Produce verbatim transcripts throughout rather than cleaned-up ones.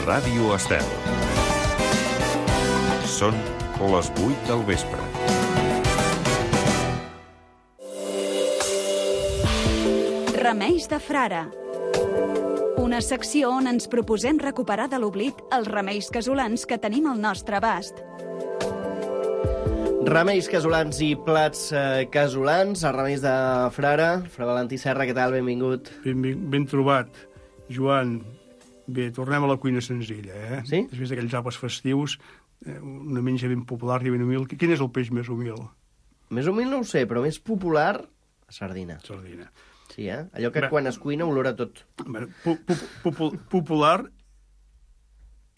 Ràdio Estel. Són les vuit del vespre. Remeis de frare. Una secció on ens proposem recuperar de l'oblit els remeis casolans que tenim al nostre abast. Remeis casolans i plats eh, casolans, els remeis de frare. Fra Valentí Serra, què tal? Benvingut. Ben, ben, ben trobat, Joan. Bé, tornem a la cuina senzilla, eh? Sí? Després d'aquells àpats festius, eh, una menja ben popular i ben humil. Quin és el peix més humil? Més humil no ho sé, però més popular, la sardina. Sardina. Sí, eh? Allò que Bé. quan es cuina olora tot. Bé, pu pu pu popular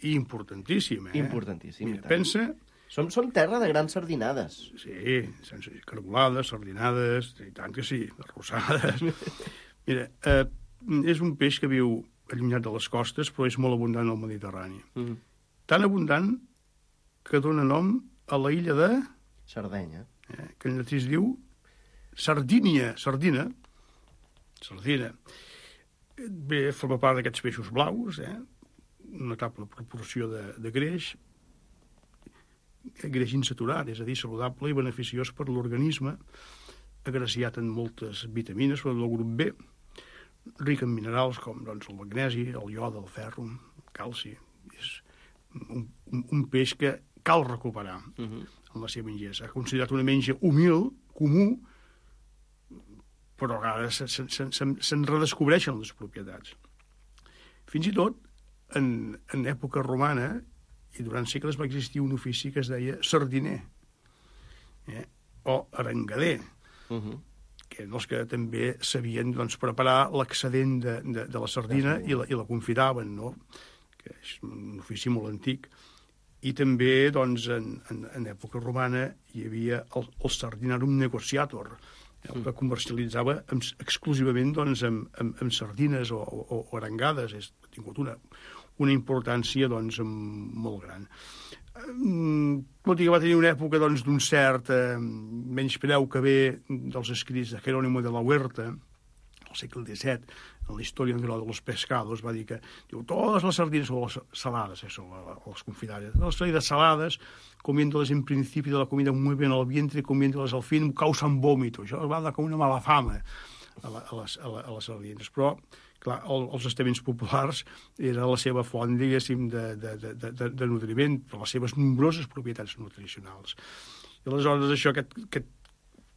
i importantíssim, eh? Importantíssim. Mira, pensa... Som, som terra de grans sardinades. Sí, sense cargolades, sardinades, i tant que sí, arrossades. Mira, eh, és un peix que viu allunyat de les costes, però és molt abundant al Mediterrani. Mm. Tan abundant que dona nom a la illa de... Sardenya. Eh, que en llatí es diu Sardínia, sardina. Sardina. Bé, forma part d'aquests peixos blaus, eh? Una notable proporció de, de greix, greix insaturat, és a dir, saludable i beneficiós per l'organisme, agraciat en moltes vitamines, però del grup B, ric en minerals com doncs, el magnesi, el iode, el ferro, el calci. És un, un, un peix que cal recuperar uh -huh. en la seva ingesta. Ha considerat una menja humil, comú, però ara se'n se, se, se, se'n redescobreixen les propietats. Fins i tot, en, en època romana, i durant segles va existir un ofici que es deia sardiner, eh? o arengader, uh -huh. que eren els que també sabien doncs, preparar l'excedent de, de, de la sardina i la, i la confitaven, no? Que és un ofici molt antic. I també, doncs, en, en, en època romana hi havia el, el sardinarum negotiator, el que comercialitzava amb, exclusivament doncs, amb, amb, amb sardines o, o, o arengades. És, ha tingut una, una importància doncs, molt gran. Tot i que va tenir una època doncs, d'un cert eh, menyspreu que ve dels escrits de Jerónimo de la Huerta, al segle disset, en la història natural de los pescados, va dir que diu, totes les sardines són les salades, eh, són les confitades. Les sardines salades, comiéndoles en principi de la comida muy bien al vientre, comiéndoles al fin, causan vòmito. Això va dar com una mala fama a, la, a, les, a, la, a les sardines. Però, clar, el, els estaments populars era la seva font, diguéssim, de, de, de, de, de nutriment, per les seves nombroses propietats nutricionals. I aleshores això, aquest, aquest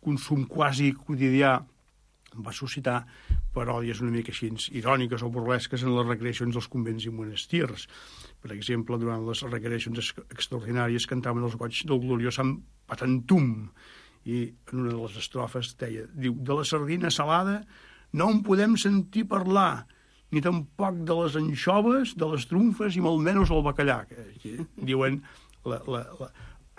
consum quasi quotidià va suscitar paròdies una mica així iròniques o burlesques en les recreacions dels convents i monestirs. Per exemple, durant les recreacions extraordinàries cantaven els goigs del gloriós Sant Patantum, i en una de les estrofes deia, diu, de la sardina salada no en podem sentir parlar, ni tampoc de les anxoves, de les trumfes i molt menys el bacallà. Que diuen la, la, la,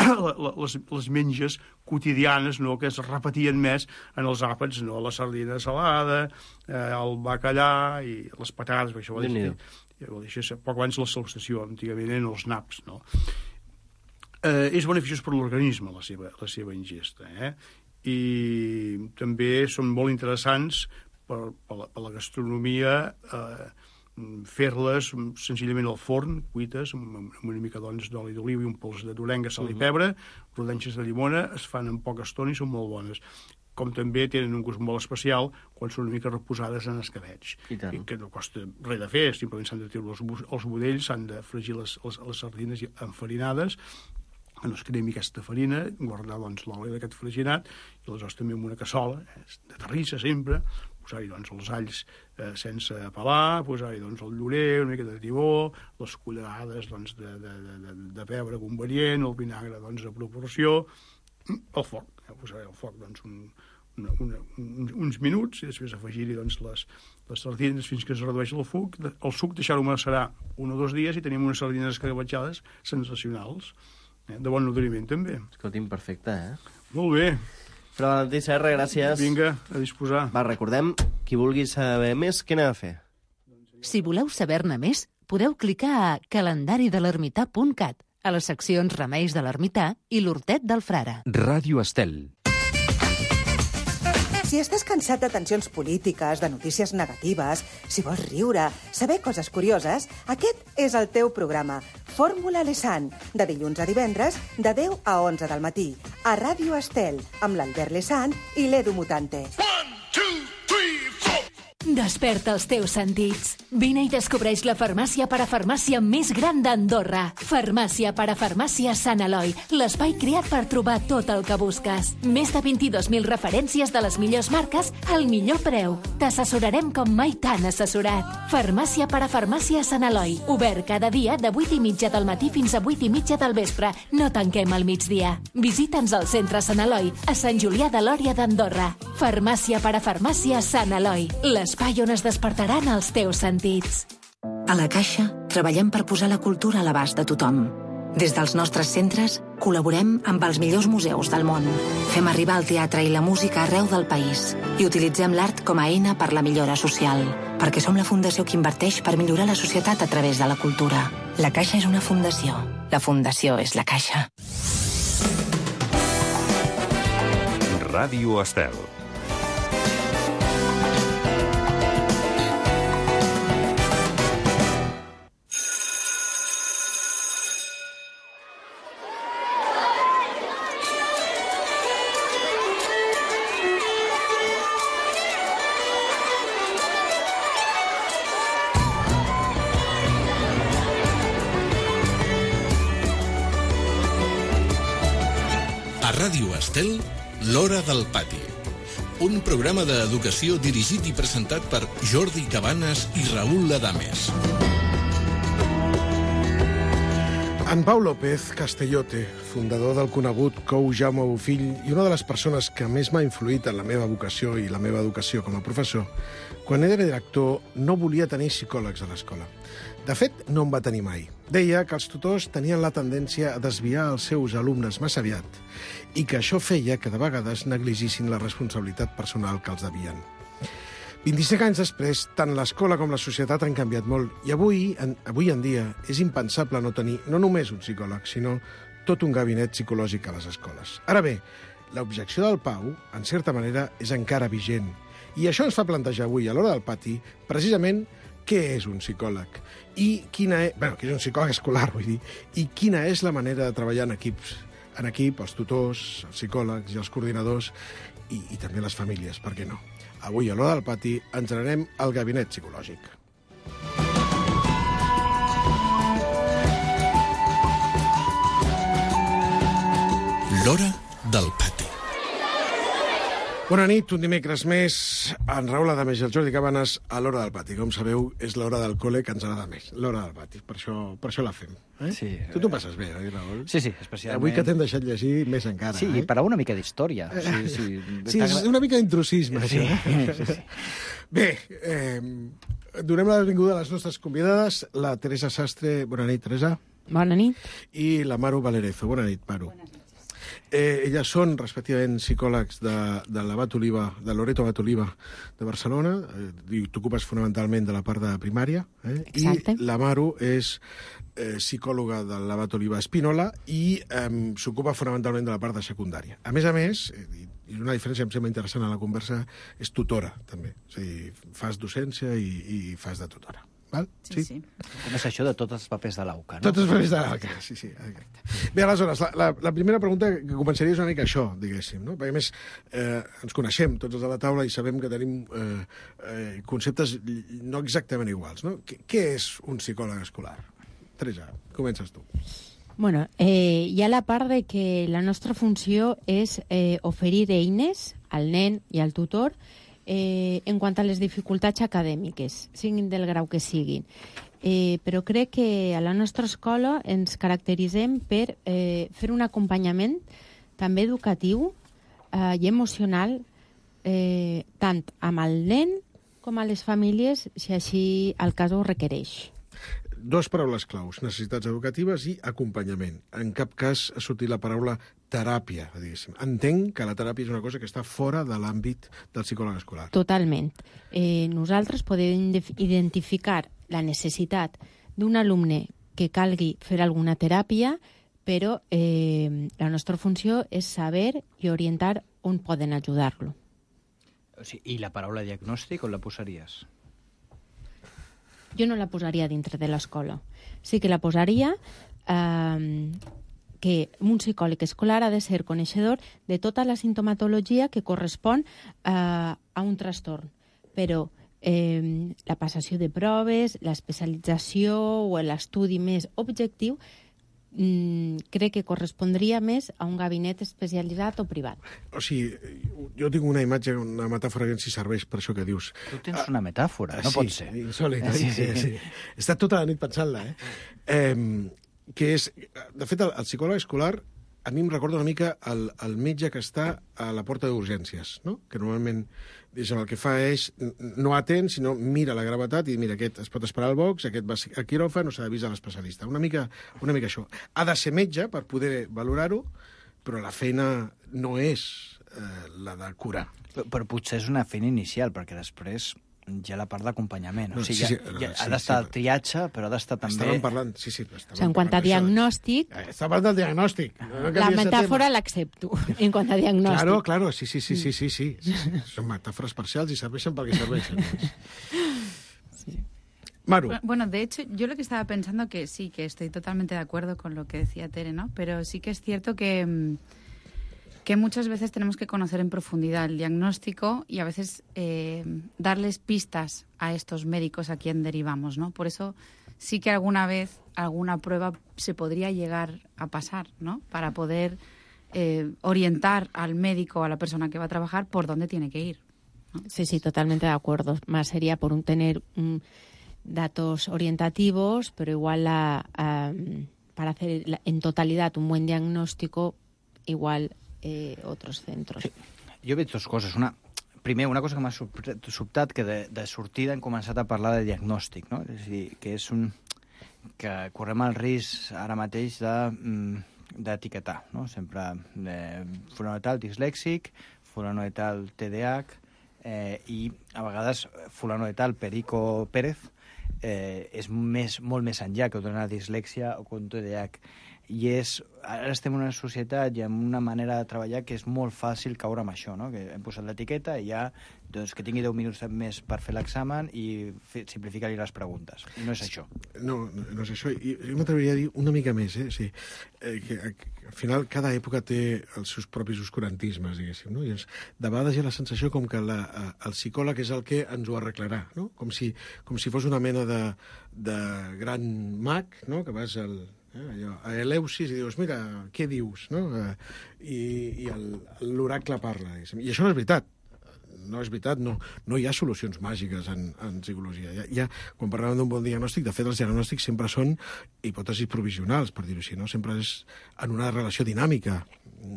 la, les, les menges quotidianes, no?, que es repetien més en els àpats, no? La sardina salada, eh, el bacallà i les patates, això ho va dir, ho deixa poc abans la salutació, antigament eren els naps, no? Eh, és beneficiós per l'organisme, la seva, la seva ingesta, eh? I també són molt interessants per, per, la, per la gastronomia, eh, fer-les senzillament al forn, cuites, amb, amb una mica doncs, d'oli d'oliva i un pols de d'orenga, sal i pebre, rodanxes de llimona, es fan en poca estona i són molt bones. Com també tenen un gust molt especial quan són una mica reposades en escabetx. I I que no costa res de fer, simplement s'han de treure els, els budells, s'han de fregir les, les, les sardines enfarinades, que no es cremi aquesta farina, guardar doncs, l'oli d'aquest freginat, i aleshores també en una cassola, eh, de terrissa sempre, posar-hi doncs, els alls eh, sense pelar, posar-hi doncs, el llorer, una mica de tibó, les cullerades doncs, de, de, de, de pebre convenient, el vinagre doncs, a proporció, el foc, eh, posar-hi al foc doncs, un, una, una, un, uns minuts, i després afegir-hi doncs, les, les sardines fins que es redueix el suc, el suc deixar-ho macerar un o dos dies i tenim unes sardines escarabatxades sensacionals, eh, de bon nutriment també. Escolti'm, perfecte, eh? Molt bé. Fra Valentí Serra, gràcies. Vinga, a disposar. Va, recordem, qui vulgui saber més, què n'ha de fer? Si voleu saber-ne més, podeu clicar a calendari de l'ermità punt cat, a les seccions Remeis de l'Ermità i l'Hortet del Frare. Ràdio Estel. Si estàs cansat de tensions polítiques, de notícies negatives, si vols riure, saber coses curioses, aquest és el teu programa. Fórmula Lesan, de dilluns a divendres, de deu a onze del matí, a Ràdio Estel, amb l'Albert Lesan i l'Edu Mutante. Desperta els teus sentits. Vine i descobreix la farmàcia parafarmàcia més gran d'Andorra. Farmàcia parafarmàcia Sant Eloi, l'espai creat per trobar tot el que busques. Més de vint-i-dos mil referències de les millors marques al millor preu. T'assessorarem com mai t'han assessorat. Farmàcia parafarmàcia Sant Eloi, obert cada dia de vuit i mitja del matí fins a vuit i mitja del vespre. No tanquem al migdia. Visita'ns al centre Sant Eloi, a Sant Julià de Lòria d'Andorra. Farmàcia parafarmàcia Sant Eloi, l'espai on es despertaran els teus sentits. A la Caixa treballem per posar la cultura a l'abast de tothom. Des dels nostres centres col·laborem amb els millors museus del món. Fem arribar el teatre i la música arreu del país i utilitzem l'art com a eina per la millora social, perquè som la fundació que inverteix per millorar la societat a través de la cultura. La Caixa és una fundació. La fundació és la Caixa. Ràdio Estel. Ràdio Estel, l'Hora del Pati. Un programa d'educació dirigit i presentat per Jordi Cabanes i Raül Ladames. En Pau López Castellote, fundador del conegut Cou Jaume Bofill i una de les persones que més m'ha influït en la meva vocació i la meva educació com a professor, quan era director no volia tenir psicòlegs a l'escola. De fet, no en va tenir mai. Deia que els tutors tenien la tendència a desviar els seus alumnes massa aviat i que això feia que de vegades negligissin la responsabilitat personal que els devien. vint-i-cinc anys després, tant l'escola com la societat han canviat molt i avui en, avui en dia és impensable no tenir no només un psicòleg, sinó tot un gabinet psicològic a les escoles. Ara bé, l'objecció del Pau, en certa manera, és encara vigent. I això ens fa plantejar avui, a l'Hora del Pati, precisament què és un psicòleg i quina és, bueno, què és un psicòleg escolar, vull dir, i quina és la manera de treballar en equips, en equip, els tutors, els psicòlegs i els coordinadors i, i també les famílies, per què no? Avui, a l'Hora del Pati, ens n'anem al gabinet psicològic. L'Hora del Pati. Bona nit, un dimecres més, en Raül Ladames i el Jordi Cabanes a l'Hora del Pati. Com sabeu, és l'hora del col·le que ens agrada més, l'Hora del Pati. Per això, per això la fem. Eh? Sí. Tu t'ho passes bé, oi, Raül? Sí, sí, especialment. Avui que t'hem deixat llegir més encara. Sí, eh? per a una mica d'història. Sí, sí. Sí, és una mica d'intrusisme, sí. això. Sí, sí. Bé, eh, donem la benvinguda a les nostres convidades, la Teresa Sastre. Bona nit, Teresa. Bona nit. I la Maru Valerezo. Bona nit, Maru. Eh, elles són, respectivament, psicòlegs de, de l'Abat Oliva, de Loreto Abat Oliva de Barcelona, eh, i t'ocupes fonamentalment de la part de primària, eh? Exacte. I la Maru és eh, psicòloga de l'Abat Oliva Espinola i eh, s'ocupa fonamentalment de la part de secundària. A més a més, eh, i una diferència que em sembla interessant a la conversa, és tutora, també. És a dir, fas docència i, i fas de tutora. Val? Sí, sí. Com és això de tots els papers de l'AUCA, no? Tots els papers de l'AUCA, sí, sí. Bé, aleshores, la, la, la primera pregunta que començaria és una mica això, diguéssim, no? Perquè, a més, eh, ens coneixem tots els de la taula i sabem que tenim eh, eh, conceptes no exactament iguals, no? Què, què és un psicòleg escolar? Teresa, comences tu. Bueno, eh, hi ha la part de que la nostra funció és eh, oferir eines al nen i al tutor Eh, en quant a les dificultats acadèmiques, siguin del grau que siguin. Eh, però crec que a la nostra escola ens caracteritzem per eh, fer un acompanyament també educatiu eh, i emocional eh, tant amb el nen com a les famílies, si així el cas ho requereix. Dos paraules claus, necessitats educatives i acompanyament. En cap cas ha sortit la paraula teràpia, diguéssim. Entenc que la teràpia és una cosa que està fora de l'àmbit del psicòleg escolar. Totalment. Eh, nosaltres podem identificar la necessitat d'un alumne que calgui fer alguna teràpia, però eh, la nostra funció és saber i orientar on poden ajudar-lo. O sigui, I la paraula diagnòstic on la posaries? Jo no la posaria dintre de l'escola. Sí que la posaria eh, que un psicòleg escolar ha de ser coneixedor de tota la sintomatologia que correspon eh, a un trastorn. Però eh, la passació de proves, l'especialització o l'estudi més objectiu Mm, crec que correspondria més a un gabinet especialitzat o privat. O sigui, jo tinc una imatge, una metàfora que si serveix per això que dius. Tu tens una metàfora, no sí, pot ser. Insòlit, oi? Sí, Sí, sí. sí. He estat tota la nit pensant-la, eh? eh? Que és, de fet, el, el psicòleg escolar a mi em recorda una mica el, el metge que està a la porta d'urgències, no? Que normalment diguem, el que fa és no atén, sinó mira la gravetat i mira, aquest es pot esperar al box, aquest va a quiròfan o s'ha d'avisar l'especialista. Una mica, una mica això. Ha de ser metge per poder valorar-ho, però la feina no és eh, la de curar. Però, però potser és una feina inicial, perquè després hi ha la part d'acompanyament. No, o sigui, sí, sí, ja, no, ja, sí, ha d'estar sí, el triatge, però ha d'estar també... Estàvem parlant, sí, sí. O sigui, en quant a diagnòstic... Estava parlant del diagnòstic. No la metàfora l'accepto, en quant a diagnòstic. Claro, claro, sí, sí, sí, sí, sí, sí. Són metàfores parcials i serveixen pel que serveixen. Sí. Maru. Bueno, de hecho, yo lo que estaba pensando que sí, que estoy totalmente de acuerdo con lo que decía Tere, ¿no? Pero sí que es cierto que... que muchas veces tenemos que conocer en profundidad el diagnóstico y a veces eh, darles pistas a estos médicos a quien derivamos, ¿no? Por eso sí que alguna vez alguna prueba se podría llegar a pasar, ¿no? Para poder eh, orientar al médico, a la persona que va a trabajar, por dónde tiene que ir, ¿no? Sí, sí, totalmente de acuerdo. Más sería por un tener um, datos orientativos, pero igual la, um, para hacer la, en totalidad un buen diagnóstico, igual... Eh, otros centros. Sí. Jo veig dues coses. Una, primer, una cosa que m'ha sobtat, que de, de sortida hem començat a parlar de diagnòstic, no? És a dir, que és un... que correm el risc ara mateix de, d'etiquetar, no? Sempre eh, fulano de tal dislèxic, fulano de tal T D A H, eh, i a vegades fulano de tal Perico Pérez eh, és més, molt més enllà que una dislèxia o un T D A H. I és, ara estem en una societat i en una manera de treballar que és molt fàcil caure amb això, no? Que hem posat l'etiqueta i ja, doncs, que tingui deu minuts més per fer l'examen i simplificar-li les preguntes. I no és això. No, no és això. I jo m'atreviria a dir una mica més, eh? Sí, eh, que, que al final cada època té els seus propis oscurantismes, diguéssim, no? I ens, de vegades hi ha la sensació com que la, el psicòleg és el que ens ho arreglarà, no? Com si, com si fos una mena de, de gran mag, no? Que vas al... Eh, allò, a Eleusis i dius, mira, què dius? No? Eh, I i l'oracle parla. I això no és veritat. No és veritat, no, no hi ha solucions màgiques en, en psicologia. Hi ha, hi ha, quan parlàvem d'un bon diagnòstic, de fet, els diagnòstics sempre són hipòtesis provisionals, per dir-ho així, no? Sempre és en una relació dinàmica.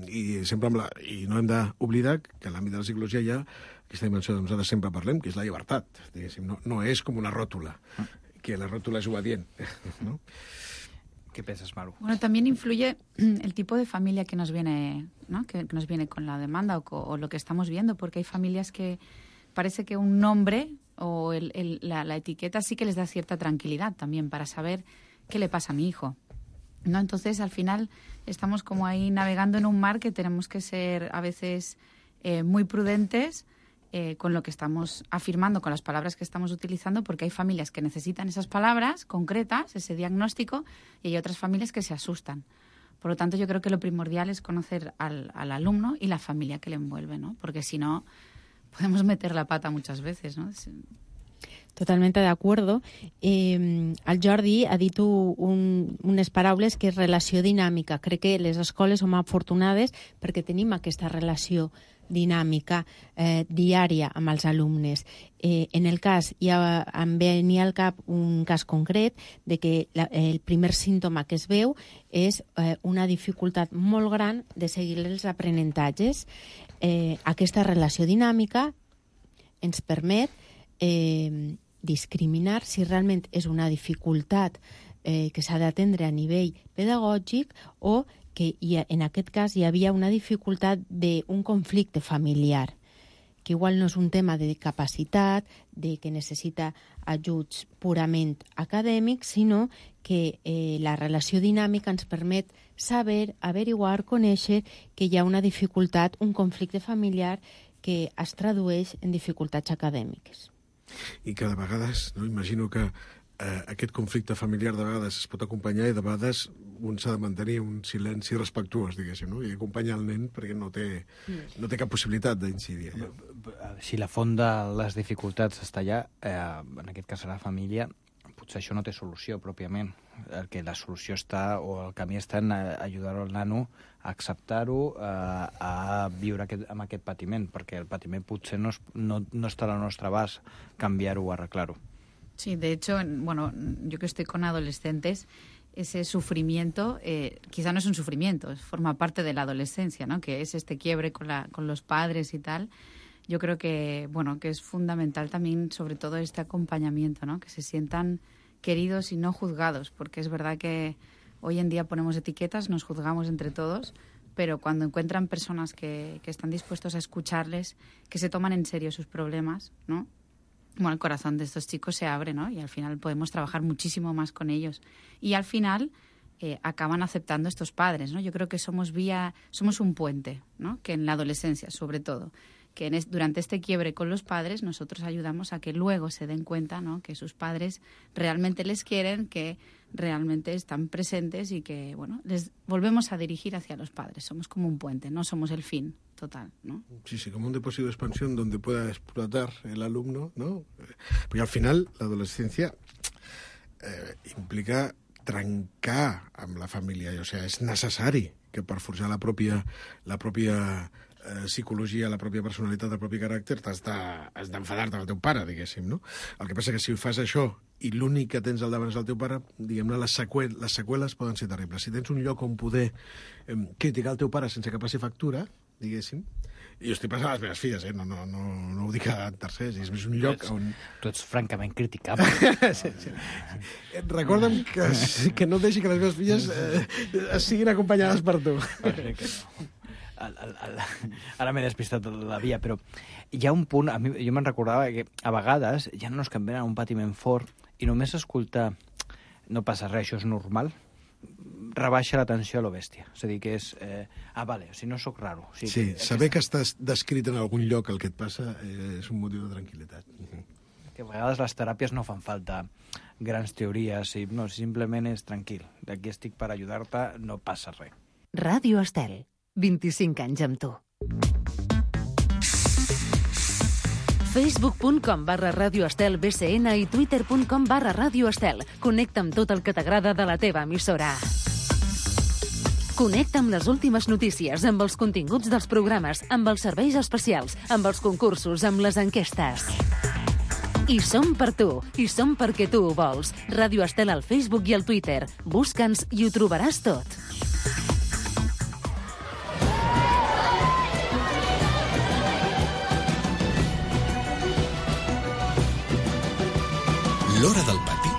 I, sempre amb la, i no hem d'oblidar que en l'àmbit de la psicologia hi ha aquesta dimensió que nosaltres sempre parlem, que és la llibertat. No, no és com una ròtula, que la ròtula és obedient. No? ¿Qué piensas, Maru? Bueno, también influye el tipo de familia que nos viene, ¿no? que, que nos viene con la demanda o, o lo que estamos viendo, porque hay familias que parece que un nombre o el, el, la, la etiqueta sí que les da cierta tranquilidad también para saber qué le pasa a mi hijo, ¿no? Entonces, al final, estamos como ahí navegando en un mar que tenemos que ser a veces eh, muy prudentes Eh, con lo que estamos afirmando, con las palabras que estamos utilizando, porque hay familias que necesitan esas palabras concretas, ese diagnóstico, y hay otras familias que se asustan. Por lo tanto, yo creo que lo primordial es conocer al, al alumno y la familia que le envuelve, ¿no? Porque si no, podemos meter la pata muchas veces, ¿no? Totalmente de acuerdo. Eh, el Jordi ha dit un, unes paraules que és relació dinàmica. Crec que les escoles som afortunades perquè tenim aquesta relació dinàmica eh, diària amb els alumnes. Eh, en el cas, ja em venia al cap un cas concret de que la, el primer símptoma que es veu és eh, una dificultat molt gran de seguir els aprenentatges. Eh, aquesta relació dinàmica ens permet eh, discriminar si realment és una dificultat eh, que s'ha d'atendre a nivell pedagògic o que hi ha, en aquest cas hi havia una dificultat d'un conflicte familiar, que igual no és un tema de capacitat, de que necessita ajuts purament acadèmics, sinó que eh, la relació dinàmica ens permet saber, averiguar, conèixer que hi ha una dificultat, un conflicte familiar que es tradueix en dificultats acadèmiques. I que de vegades, no, imagino que eh, aquest conflicte familiar de vegades es pot acompanyar i de vegades un s'ha de mantenir un silenci respectuós, diguéssim, no? I acompanyar el nen perquè no té, no té cap possibilitat d'incidir. Si la font de les dificultats està allà, eh, en aquest cas a la família, potser això no té solució pròpiament. El que la solució està, o el camí està en ajudar el nano a acceptar-ho, a, a viure aquest, amb aquest patiment, perquè el patiment potser no, es, no, no està al nostre abast canviar-ho o arreglar-ho. Sí, de hecho, bueno, yo que estoy con adolescentes, ese sufrimiento, eh, quizá no es un sufrimiento, forma parte de la adolescencia, ¿no? Que es este quiebre con, la, con los padres y tal. Yo creo que, bueno, que es fundamental también, sobre todo, este acompañamiento, ¿no? Que se sientan queridos y no juzgados, porque es verdad que hoy en día ponemos etiquetas, nos juzgamos entre todos, pero cuando encuentran personas que, que están dispuestos a escucharles, que se toman en serio sus problemas, ¿no? Bueno, el corazón de estos chicos se abre, ¿no? Y al final podemos trabajar muchísimo más con ellos. Y al final eh, acaban aceptando estos padres, ¿no? Yo creo que somos vía, somos un puente, ¿no? Que en la adolescencia, sobre todo, que en es, durante este quiebre con los padres nosotros ayudamos a que luego se den cuenta, ¿no? Que sus padres realmente les quieren, que realmente están presentes y que, bueno, les volvemos a dirigir hacia los padres. Somos como un puente, no somos el fin total, ¿no? Sí, sí, como un depósito de expansión donde pueda explotar el alumno, ¿no? Porque al final la adolescencia eh, implica trencar amb la família, o sigui, és necessari que per forjar la pròpia, la pròpia eh, psicologia, la pròpia personalitat, el propi caràcter, t'has d'enfadar-te amb el teu pare, diguéssim, no? El que passa que si fas això i l'únic que tens al davant és el teu pare, diguem-ne, les, seqüel les seqüeles poden ser terribles. Si tens un lloc on poder eh, criticar el teu pare sense que passi factura, diguéssim, i jo estic passant a les meves filles, eh? no, no, no, no ho dic a tercers, és més un lloc tu ets, on... Tu ets francament criticable. sí, sí. Recorda'm que, que no deixi que les meves filles eh, siguin acompanyades per tu. El, el, el, ara m'he despistat de la via, però hi ha un punt, a mi, jo me'n recordava que a vegades hi ha nanos que em venen a un patiment fort i només escoltar no passa res, això és normal, rebaixa l'atenció a lo bèstia. És a dir, que és... Eh, ah, vale, o sigui, no sóc raro. O sigui, sí, que, saber que estàs descrit en algun lloc el que et passa eh, és un motiu de tranquil·litat. Que a vegades les teràpies no fan falta grans teories, i, no, simplement és tranquil. D'aquí estic per ajudar-te, no passa res. Ràdio Estel, vint-i-cinc anys amb tu. facebook punt com barra Ràdio Estel B C N i twitter punt com barra Ràdio Estel. Connecta amb tot el que t'agrada de la teva emissora. Connecta amb les últimes notícies, amb els continguts dels programes, amb els serveis especials, amb els concursos, amb les enquestes. I som per tu, i som perquè tu ho vols. Ràdio Estel al Facebook i al Twitter. Busca'ns i ho trobaràs tot. L'Hora del Pati.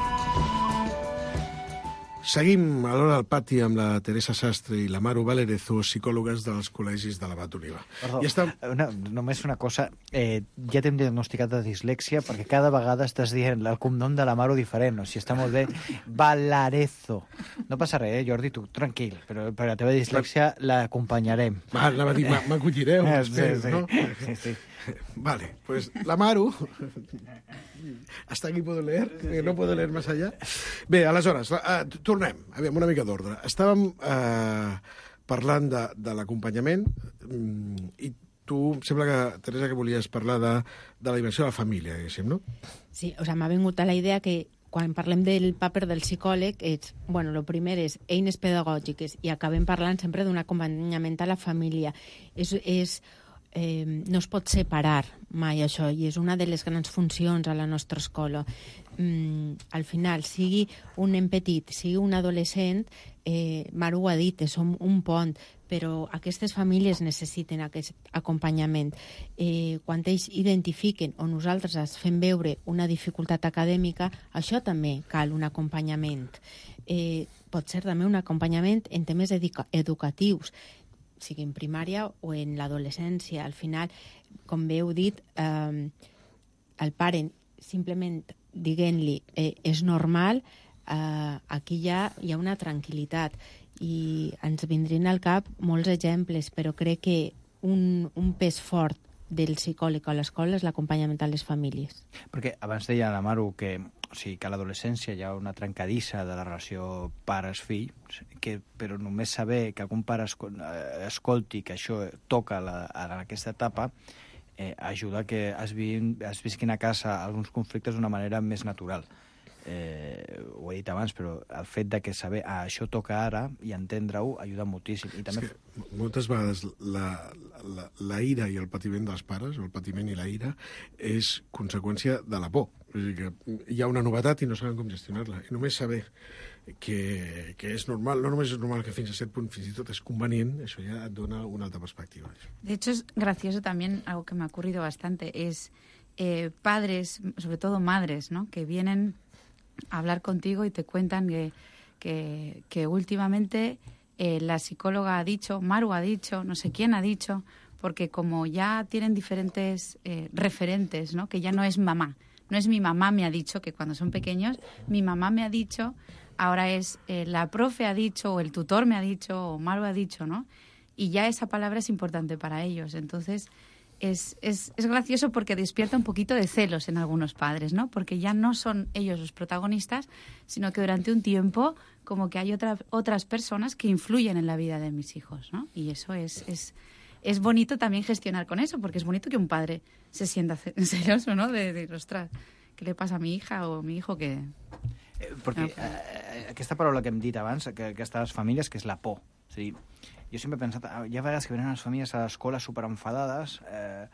Seguim a l'Hora del Pati amb la Teresa Sastre i la Maru Valerezo, psicòlogues dels col·legis de l'Abat Oliva. Perdó, I està... una, només una cosa. Eh, ja t'hem diagnosticat de dislèxia perquè cada vegada estàs dient el cognom de la Maru diferent. O sigui, està molt bé. Valerezo. No passa res, eh, Jordi, tu tranquil. Però per la teva dislèxia l'acompanyarem. Va, anava a dir, m'acollireu, espero, sí, sí. no? Sí, sí. Vale, pues la Maru... Hasta aquí puedo leer, que no puedo leer más allá. Bé, aleshores, uh, tornem, aviam, una mica d'ordre. Estàvem uh, parlant de, de l'acompanyament um, i tu, sembla que, Teresa, que volies parlar de, de la dimensió de la família, diguéssim, no? Sí, o sea, m'ha vingut a la idea que quan parlem del paper del psicòleg, és, bueno, lo primer és eines pedagògiques i acabem parlant sempre d'un acompanyament a la família. És... és Eh, no es pot separar mai això, i és una de les grans funcions a la nostra escola. Mm, al final, sigui un nen petit, sigui un adolescent, eh, Maru ho ha dit, som un pont, però aquestes famílies necessiten aquest acompanyament. Eh, quan ells identifiquen o nosaltres es fem veure una dificultat acadèmica, això també cal un acompanyament. Eh, pot ser també un acompanyament en temes educa educatius, sigui en primària o en l'adolescència. Al final, com bé heu dit, eh, el pare simplement dient-li eh, és normal, eh, aquí ja hi ha una tranquil·litat i ens vindrien al cap molts exemples, però crec que un, un pes fort del psicòleg a l'escola és l'acompanyament a les famílies. Perquè abans deia la Maru que, o sigui, que a l'adolescència hi ha una trencadissa de la relació pares-fill, que, però només saber que algun pare escol escolti que això toca la, en aquesta etapa eh, ajuda que es, vi es visquin a casa alguns conflictes d'una manera més natural. Eh, ho he dit abans, però el fet de que saber ah, això toca ara i entendre-ho ajuda moltíssim. I també... És que moltes vegades la, la, la ira i el patiment dels pares, o el patiment i la ira, és conseqüència de la por. És a dir, que hi ha una novetat i no saben com gestionar-la. I només saber que, que és normal, no només és normal, que fins a cert punt fins i tot és convenient, això ja et dona una altra perspectiva. De hecho, es gracioso también, algo que me ha ocurrido bastante, es eh, padres, sobre todo madres, ¿no?, que vienen hablar contigo y te cuentan que, que, que últimamente eh, la psicóloga ha dicho, Maru ha dicho, no sé quién ha dicho, porque como ya tienen diferentes eh, referentes, ¿no?, que ya no es mamá, no es mi mamá me ha dicho, que cuando son pequeños, mi mamá me ha dicho, ahora es eh, la profe ha dicho, o el tutor me ha dicho, o Maru ha dicho, ¿no? Y ya esa palabra es importante para ellos, entonces... Es, es, es gracioso porque despierta un poquito de celos en algunos padres, ¿no? Porque ya no son ellos los protagonistas, sino que durante un tiempo como que hay otra, otras personas que influyen en la vida de mis hijos, ¿no? Y eso es, es, es bonito también gestionar con eso, porque es bonito que un padre se sienta celoso, ¿no? De, de ostras, ¿qué le pasa a mi hija o a mi hijo que...? Eh, perquè eh, aquesta paraula que hem dit abans, que aquestes famílies, que és la por. O sigui, jo sempre he pensat, hi ha vegades que venen les famílies a l'escola superenfadades eh,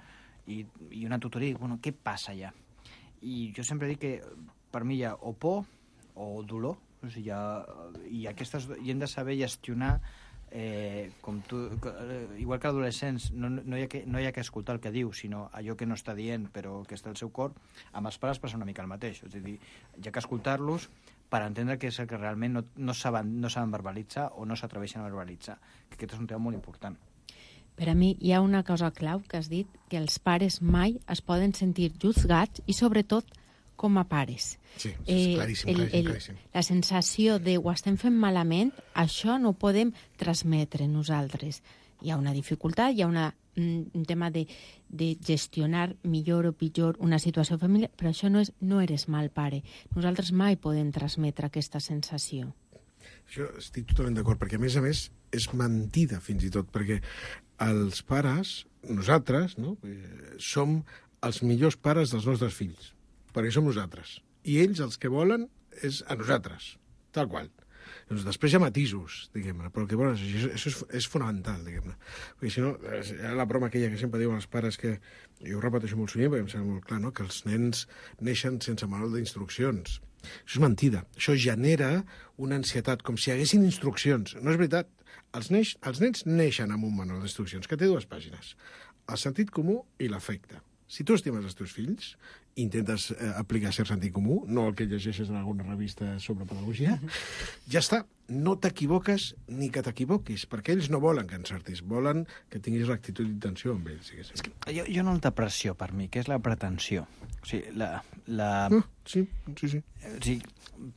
i, i una tutoria, bueno, què passa ja? I jo sempre dic que per mi hi ha o por o dolor, o sigui, hi ha, i, aquestes, i hem de saber gestionar eh, com tu, igual que adolescents, no, no, hi ha que, no hi ha que escoltar el que diu, sinó allò que no està dient però que està al seu cor. Amb els pares passa una mica el mateix, és a dir, hi ha que escoltar-los per entendre que és el que realment no, no, saben, no saben verbalitzar o no s'atreveixen a verbalitzar, que aquest és un tema molt important. Per a mi hi ha una cosa clau que has dit, que els pares mai es poden sentir juzgats i sobretot com a pares. Sí, és claríssim, el, claríssim, el, claríssim. La sensació de ho estem fent malament, això no ho podem transmetre nosaltres. Hi ha una dificultat, hi ha una, un tema de, de gestionar millor o pitjor una situació familiar, però això no és no eres mal pare. Nosaltres mai podem transmetre aquesta sensació. Això estic totalment d'acord, perquè a més a més és mentida fins i tot, perquè els pares, nosaltres, no, eh, som els millors pares dels nostres fills, perquè som nosaltres. I ells els que volen és a nosaltres, tal qual. Doncs després hi ha matisos, diguem-ne, però el que volen, això, això és, és fonamental, diguem-ne. Perquè si no, hi ha la broma aquella que sempre diuen els pares que, jo ho repeteixo molt sovint perquè em sembla molt clar, no?, que els nens neixen sense manual d'instruccions. Això és mentida. Això genera una ansietat, com si hi haguessin instruccions. No és veritat. Els, neix, els nens neixen amb un manual d'instruccions que té dues pàgines. El sentit comú i l'afecte. Si tu estimes els teus fills, intentes eh, aplicar cert sentit comú, no el que llegeixes en alguna revista sobre pedagogia, ja està. No t'equivoques ni que t'equivoquis, perquè ells no volen que encertis, volen que tinguis l'actitud d'intenció amb ells. És que jo, jo no alta pressió per mi, que és la pretensió. O sigui, la... la... No, sí, sí, sí. O sigui,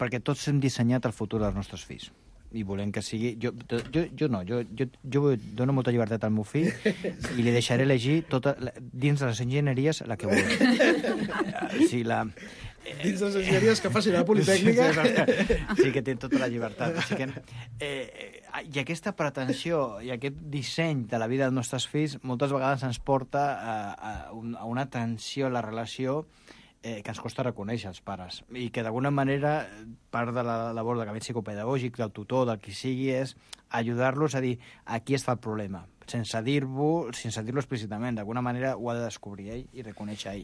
perquè tots hem dissenyat el futur dels nostres fills. I volem que sigui... Jo, jo, jo no, jo, jo, jo dono molta llibertat al meu fill i li deixaré elegir tota, dins de les enginyeries la que vulgui. O sigui, la... Dins de les enginyeries que faci la Politècnica. Sí, sí, que té tota la llibertat. O sigui que, eh, I aquesta pretensió i aquest disseny de la vida dels nostres fills moltes vegades ens porta a, a, a una tensió a la relació Eh, que ens costa reconèixer els pares i que d'alguna manera part de la labor de gabinet psicopedagògic, del tutor, del qui sigui, és ajudar-los a dir aquí està el problema, sense dir-ho sense dir-lo explícitament, d'alguna manera ho ha de descobrir ell i reconèixer ell.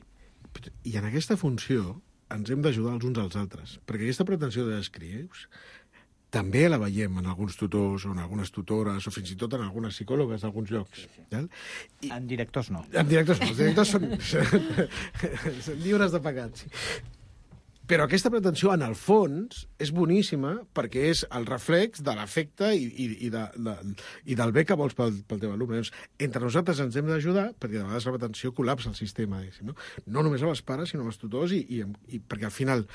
I en aquesta funció ens hem d'ajudar els uns als altres, perquè aquesta pretensió de descrius també la veiem en alguns tutors o en algunes tutores o fins i tot en algunes psicòlogues d'alguns llocs. Sí, sí. I... En directors no. En directors no. Els directors són, són lliures de pecat. Sí. Però aquesta pretensió, en el fons, és boníssima perquè és el reflex de l'afecte i, i, i, de, de, i del bé que vols pel, pel teu alumne. Llavors, entre nosaltres ens hem d'ajudar perquè de vegades la pretensió col·lapsa el sistema. No? no només als pares, sinó als tutors, i, i, i perquè al final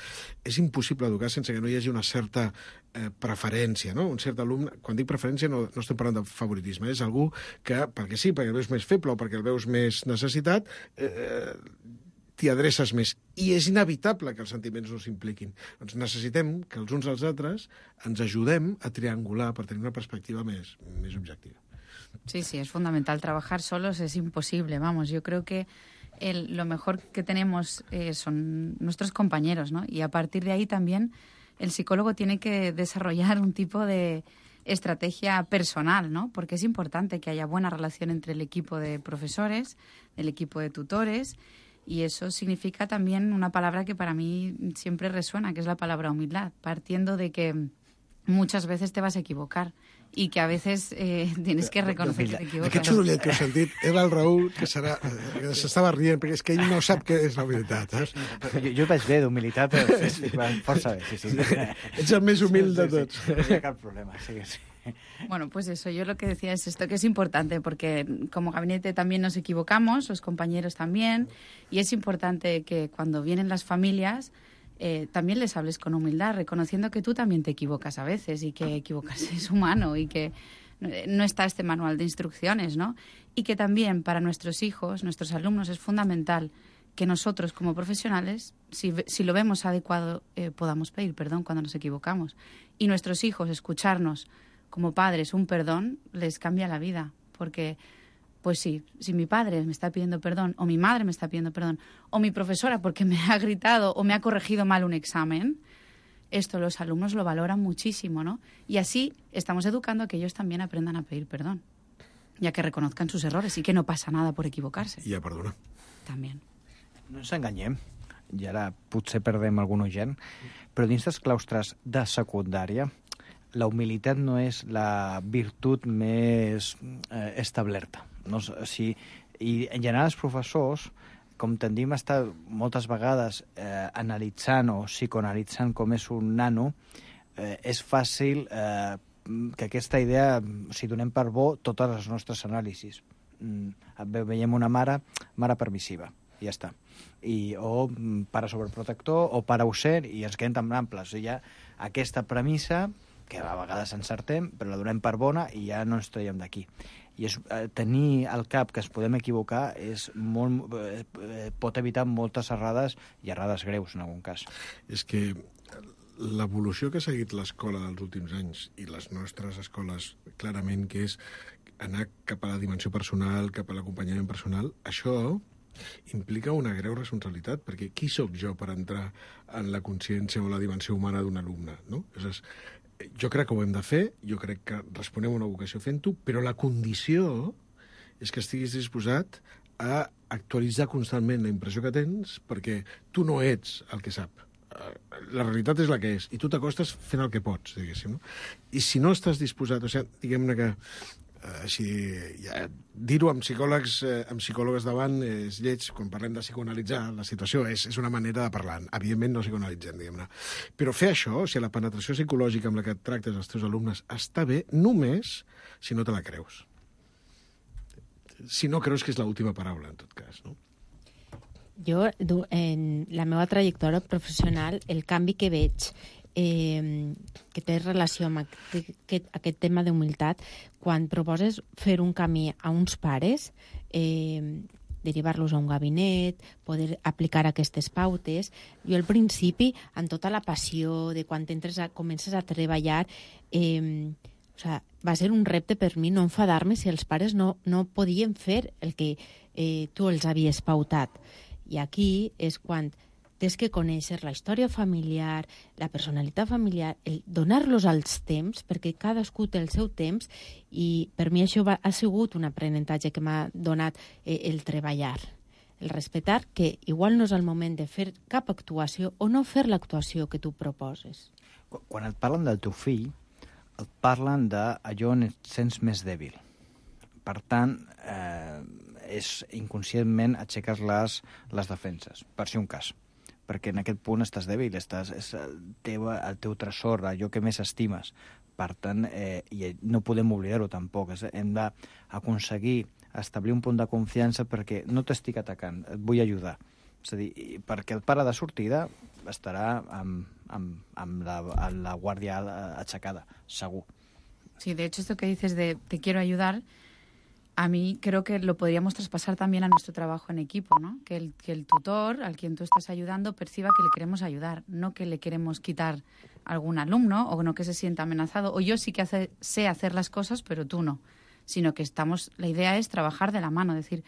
és impossible educar sense que no hi hagi una certa eh, preferència. No? Un cert alumne, quan dic preferència no, no estem parlant de favoritisme, és algú que, perquè sí, perquè el veus més feble o perquè el veus més necessitat, eh, t'hi adreces més. I és inevitable que els sentiments no s'impliquin. Doncs necessitem que els uns als altres ens ajudem a triangular per tenir una perspectiva més, més objectiva. Sí, sí, es fundamental. Trabajar solos es imposible. Vamos, yo creo que el, lo mejor que tenemos eh, son nuestros compañeros, ¿no? Y a partir de ahí también el psicólogo tiene que desarrollar un tipo de estrategia personal, ¿no? Porque es importante que haya buena relación entre el equipo de profesores, el equipo de tutores. Y eso significa también una palabra que para mí siempre resuena, que es la palabra humildad, partiendo de que muchas veces te vas a equivocar y que a veces eh, tienes que reconocer que te equivoques. Aquest sorollet que heu sentit era el Raül, que serà, que s'estava rient, perquè és que ell no sap què és la humilitat. Eh? Jo, jo vaig bé d'humilitat, però sí, força bé, sí, sí. Ets el més humil de tots. Sí, sí, sí. No hi ha cap problema, sí, sí. Bueno, pues eso, yo lo que decía es esto, que es importante, porque como gabinete también nos equivocamos, los compañeros también, y es importante que cuando vienen las familias eh, también les hables con humildad, reconociendo que tú también te equivocas a veces y que equivocarse es humano y que no está este manual de instrucciones, ¿no? Y que también para nuestros hijos, nuestros alumnos, es fundamental que nosotros como profesionales, si, si lo vemos adecuado, eh, podamos pedir perdón cuando nos equivocamos. Y nuestros hijos escucharnos como padres un perdón les cambia la vida, porque, pues sí, si mi padre me está pidiendo perdón, o mi madre me está pidiendo perdón, o mi profesora porque me ha gritado o me ha corregido mal un examen, esto los alumnos lo valoran muchísimo, ¿no? Y así estamos educando a que ellos también aprendan a pedir perdón, ya que reconozcan sus errores y que no pasa nada por equivocarse. I a perdonar. También. No ens enganyem, i ara potser perdem algun oient, però dins dels claustres de secundària la humilitat no és la virtut més eh, establerta. No? O sigui, i en general els professors, com tendim a estar moltes vegades eh, analitzant o psicoanalitzant com és un nano, eh, és fàcil eh, que aquesta idea, si donem per bo totes les nostres anàlisis. Mm, veiem una mare, mare permissiva, i ja està. I, o pare sobreprotector, o pare ausent, i ens quedem tan amples. Hi ha aquesta premissa que a vegades encertem, però la donem per bona i ja no ens traiem d'aquí. I és, eh, tenir al cap que es podem equivocar és molt, eh, pot evitar moltes errades i errades greus, en algun cas. És que l'evolució que ha seguit l'escola dels últims anys i les nostres escoles, clarament, que és anar cap a la dimensió personal, cap a l'acompanyament personal, això implica una greu responsabilitat, perquè qui sóc jo per entrar en la consciència o la dimensió humana d'un alumne, no? Llavors, jo crec que ho hem de fer, jo crec que responem a una vocació fent-ho, però la condició és que estiguis disposat a actualitzar constantment la impressió que tens, perquè tu no ets el que sap. La realitat és la que és, i tu t'acostes fent el que pots, diguéssim. No? I si no estàs disposat, o sigui, diguem-ne que així, ja, dir-ho amb psicòlegs, eh, amb psicòlogues davant és lleig, quan parlem de psicoanalitzar la situació, és, és una manera de parlar. Evidentment no psicoanalitzem, diguem-ne. Però fer això, o sigui, la penetració psicològica amb la que et tractes els teus alumnes està bé només si no te la creus. Si no creus que és l'última paraula, en tot cas, no? Jo, en la meva trajectòria professional, el canvi que veig eh, que té relació amb aquest, aquest tema d'humilitat, quan proposes fer un camí a uns pares, eh, derivar-los a un gabinet, poder aplicar aquestes pautes. Jo al principi, amb tota la passió de quan entres a, comences a treballar, eh, o sea, va ser un repte per mi no enfadar-me si els pares no, no podien fer el que eh, tu els havies pautat. I aquí és quan tens que conèixer la història familiar, la personalitat familiar, el donar-los els temps, perquè cadascú té el seu temps, i per mi això va, ha sigut un aprenentatge que m'ha donat eh, el treballar, el respectar que igual no és el moment de fer cap actuació o no fer l'actuació que tu proposes. Quan et parlen del teu fill, et parlen d'allò on et sents més dèbil. Per tant, eh, és inconscientment aixeques les, les defenses, per si un cas. perquè en aquest punt estàs dèbil, estàs, és el teu, el teu tresor, allò que més estimes. Per tant, eh, i no podem oblidar-ho tampoc, és, hem d'aconseguir establir un punt de confiança perquè no t'estic atacant, et vull ajudar. És a dir, perquè el pare de sortida estarà amb, amb, amb, la, amb la guàrdia aixecada, segur. Sí, de hecho, esto que dices de te quiero ayudar, a mí creo que lo podríamos traspasar también a nuestro trabajo en equipo, ¿no? Que el, que el tutor, al quien tú estás ayudando, perciba que le queremos ayudar, no que le queremos quitar algún alumno o no que se sienta amenazado. O yo sí que hace, sé hacer las cosas, pero tú no. Sino que estamos, la idea es trabajar de la mano, decir,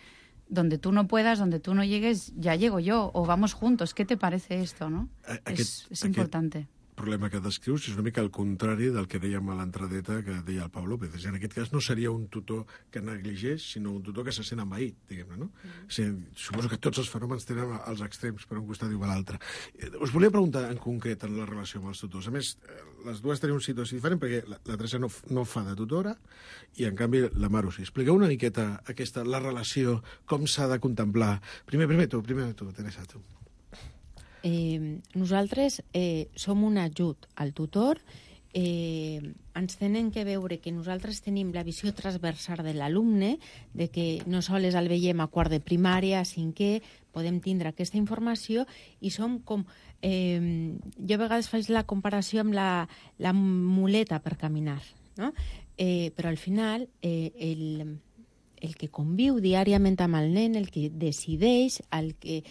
donde tú no puedas, donde tú no llegues, ya llego yo, o vamos juntos. ¿Qué te parece esto, no? Aquest, es, es importante. El problema que descrius és una mica el contrari del que dèiem a l'entradeta que deia el Pau López. En aquest cas no seria un tutor que negligeix, sinó un tutor que se sent envaït, diguem-ne, no? Mm. O sigui, suposo que tots els fenòmens tenen els extrems per un costat i per l'altre. Us volia preguntar en concret en la relació amb els tutors. A més, les dues tenen una situació diferent perquè la, la Teresa no, no fa de tutora i, en canvi, la Maru sí. Expliqueu una miqueta aquesta, la relació, com s'ha de contemplar. Primer, primer tu, primer tu, Teresa, tu. Eh, nosaltres eh, som un ajut al tutor, eh, ens tenen que veure que nosaltres tenim la visió transversal de l'alumne, de que no sols el veiem a quart de primària, a cinquè, podem tindre aquesta informació i som com... Eh, jo a vegades faig la comparació amb la, la muleta per caminar, no? Eh, però al final eh, el, el que conviu diàriament amb el nen, el que decideix, el que...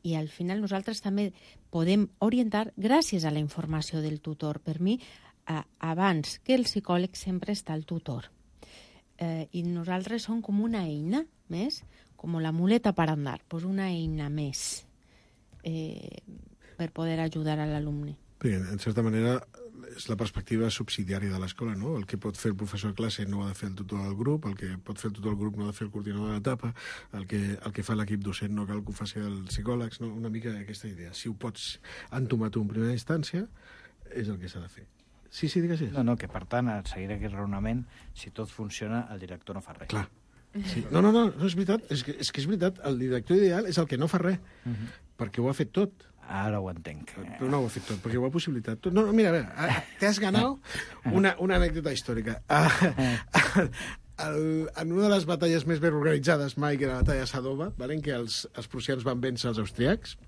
i al final nosaltres també podem orientar gràcies a la informació del tutor. Per mi, eh, abans que el psicòleg sempre està el tutor. Eh, I nosaltres som com una eina més, com la muleta per andar, pues una eina més eh, per poder ajudar a l'alumne. Bé, en certa manera, és la perspectiva subsidiària de l'escola, no? El que pot fer el professor de classe no ha de fer el tutor del grup, el que pot fer el tutor del grup no ha de fer el coordinador de l'etapa, el que, el que fa l'equip docent no cal que ho faci els psicòlegs, no? Una mica aquesta idea. Si ho pots entomar tu en primera instància, és el que s'ha de fer. Sí, sí, digues. No, no, que per tant, a seguir aquest raonament, si tot funciona, el director no fa res. Clar. Sí. No, no, no, no és veritat, és que, és que és veritat, el director ideal és el que no fa res, uh-huh. perquè ho ha fet tot. Ara ho entenc. Però no ho ha fet tot, perquè ho ha possibilitat tot. No, no, mira, a veure, te has ganado una, una anècdota històrica. El, en una de les batalles més ben organitzades mai, que era la batalla de Sadova, vale, en què els, els prussians van vèncer els austriacs.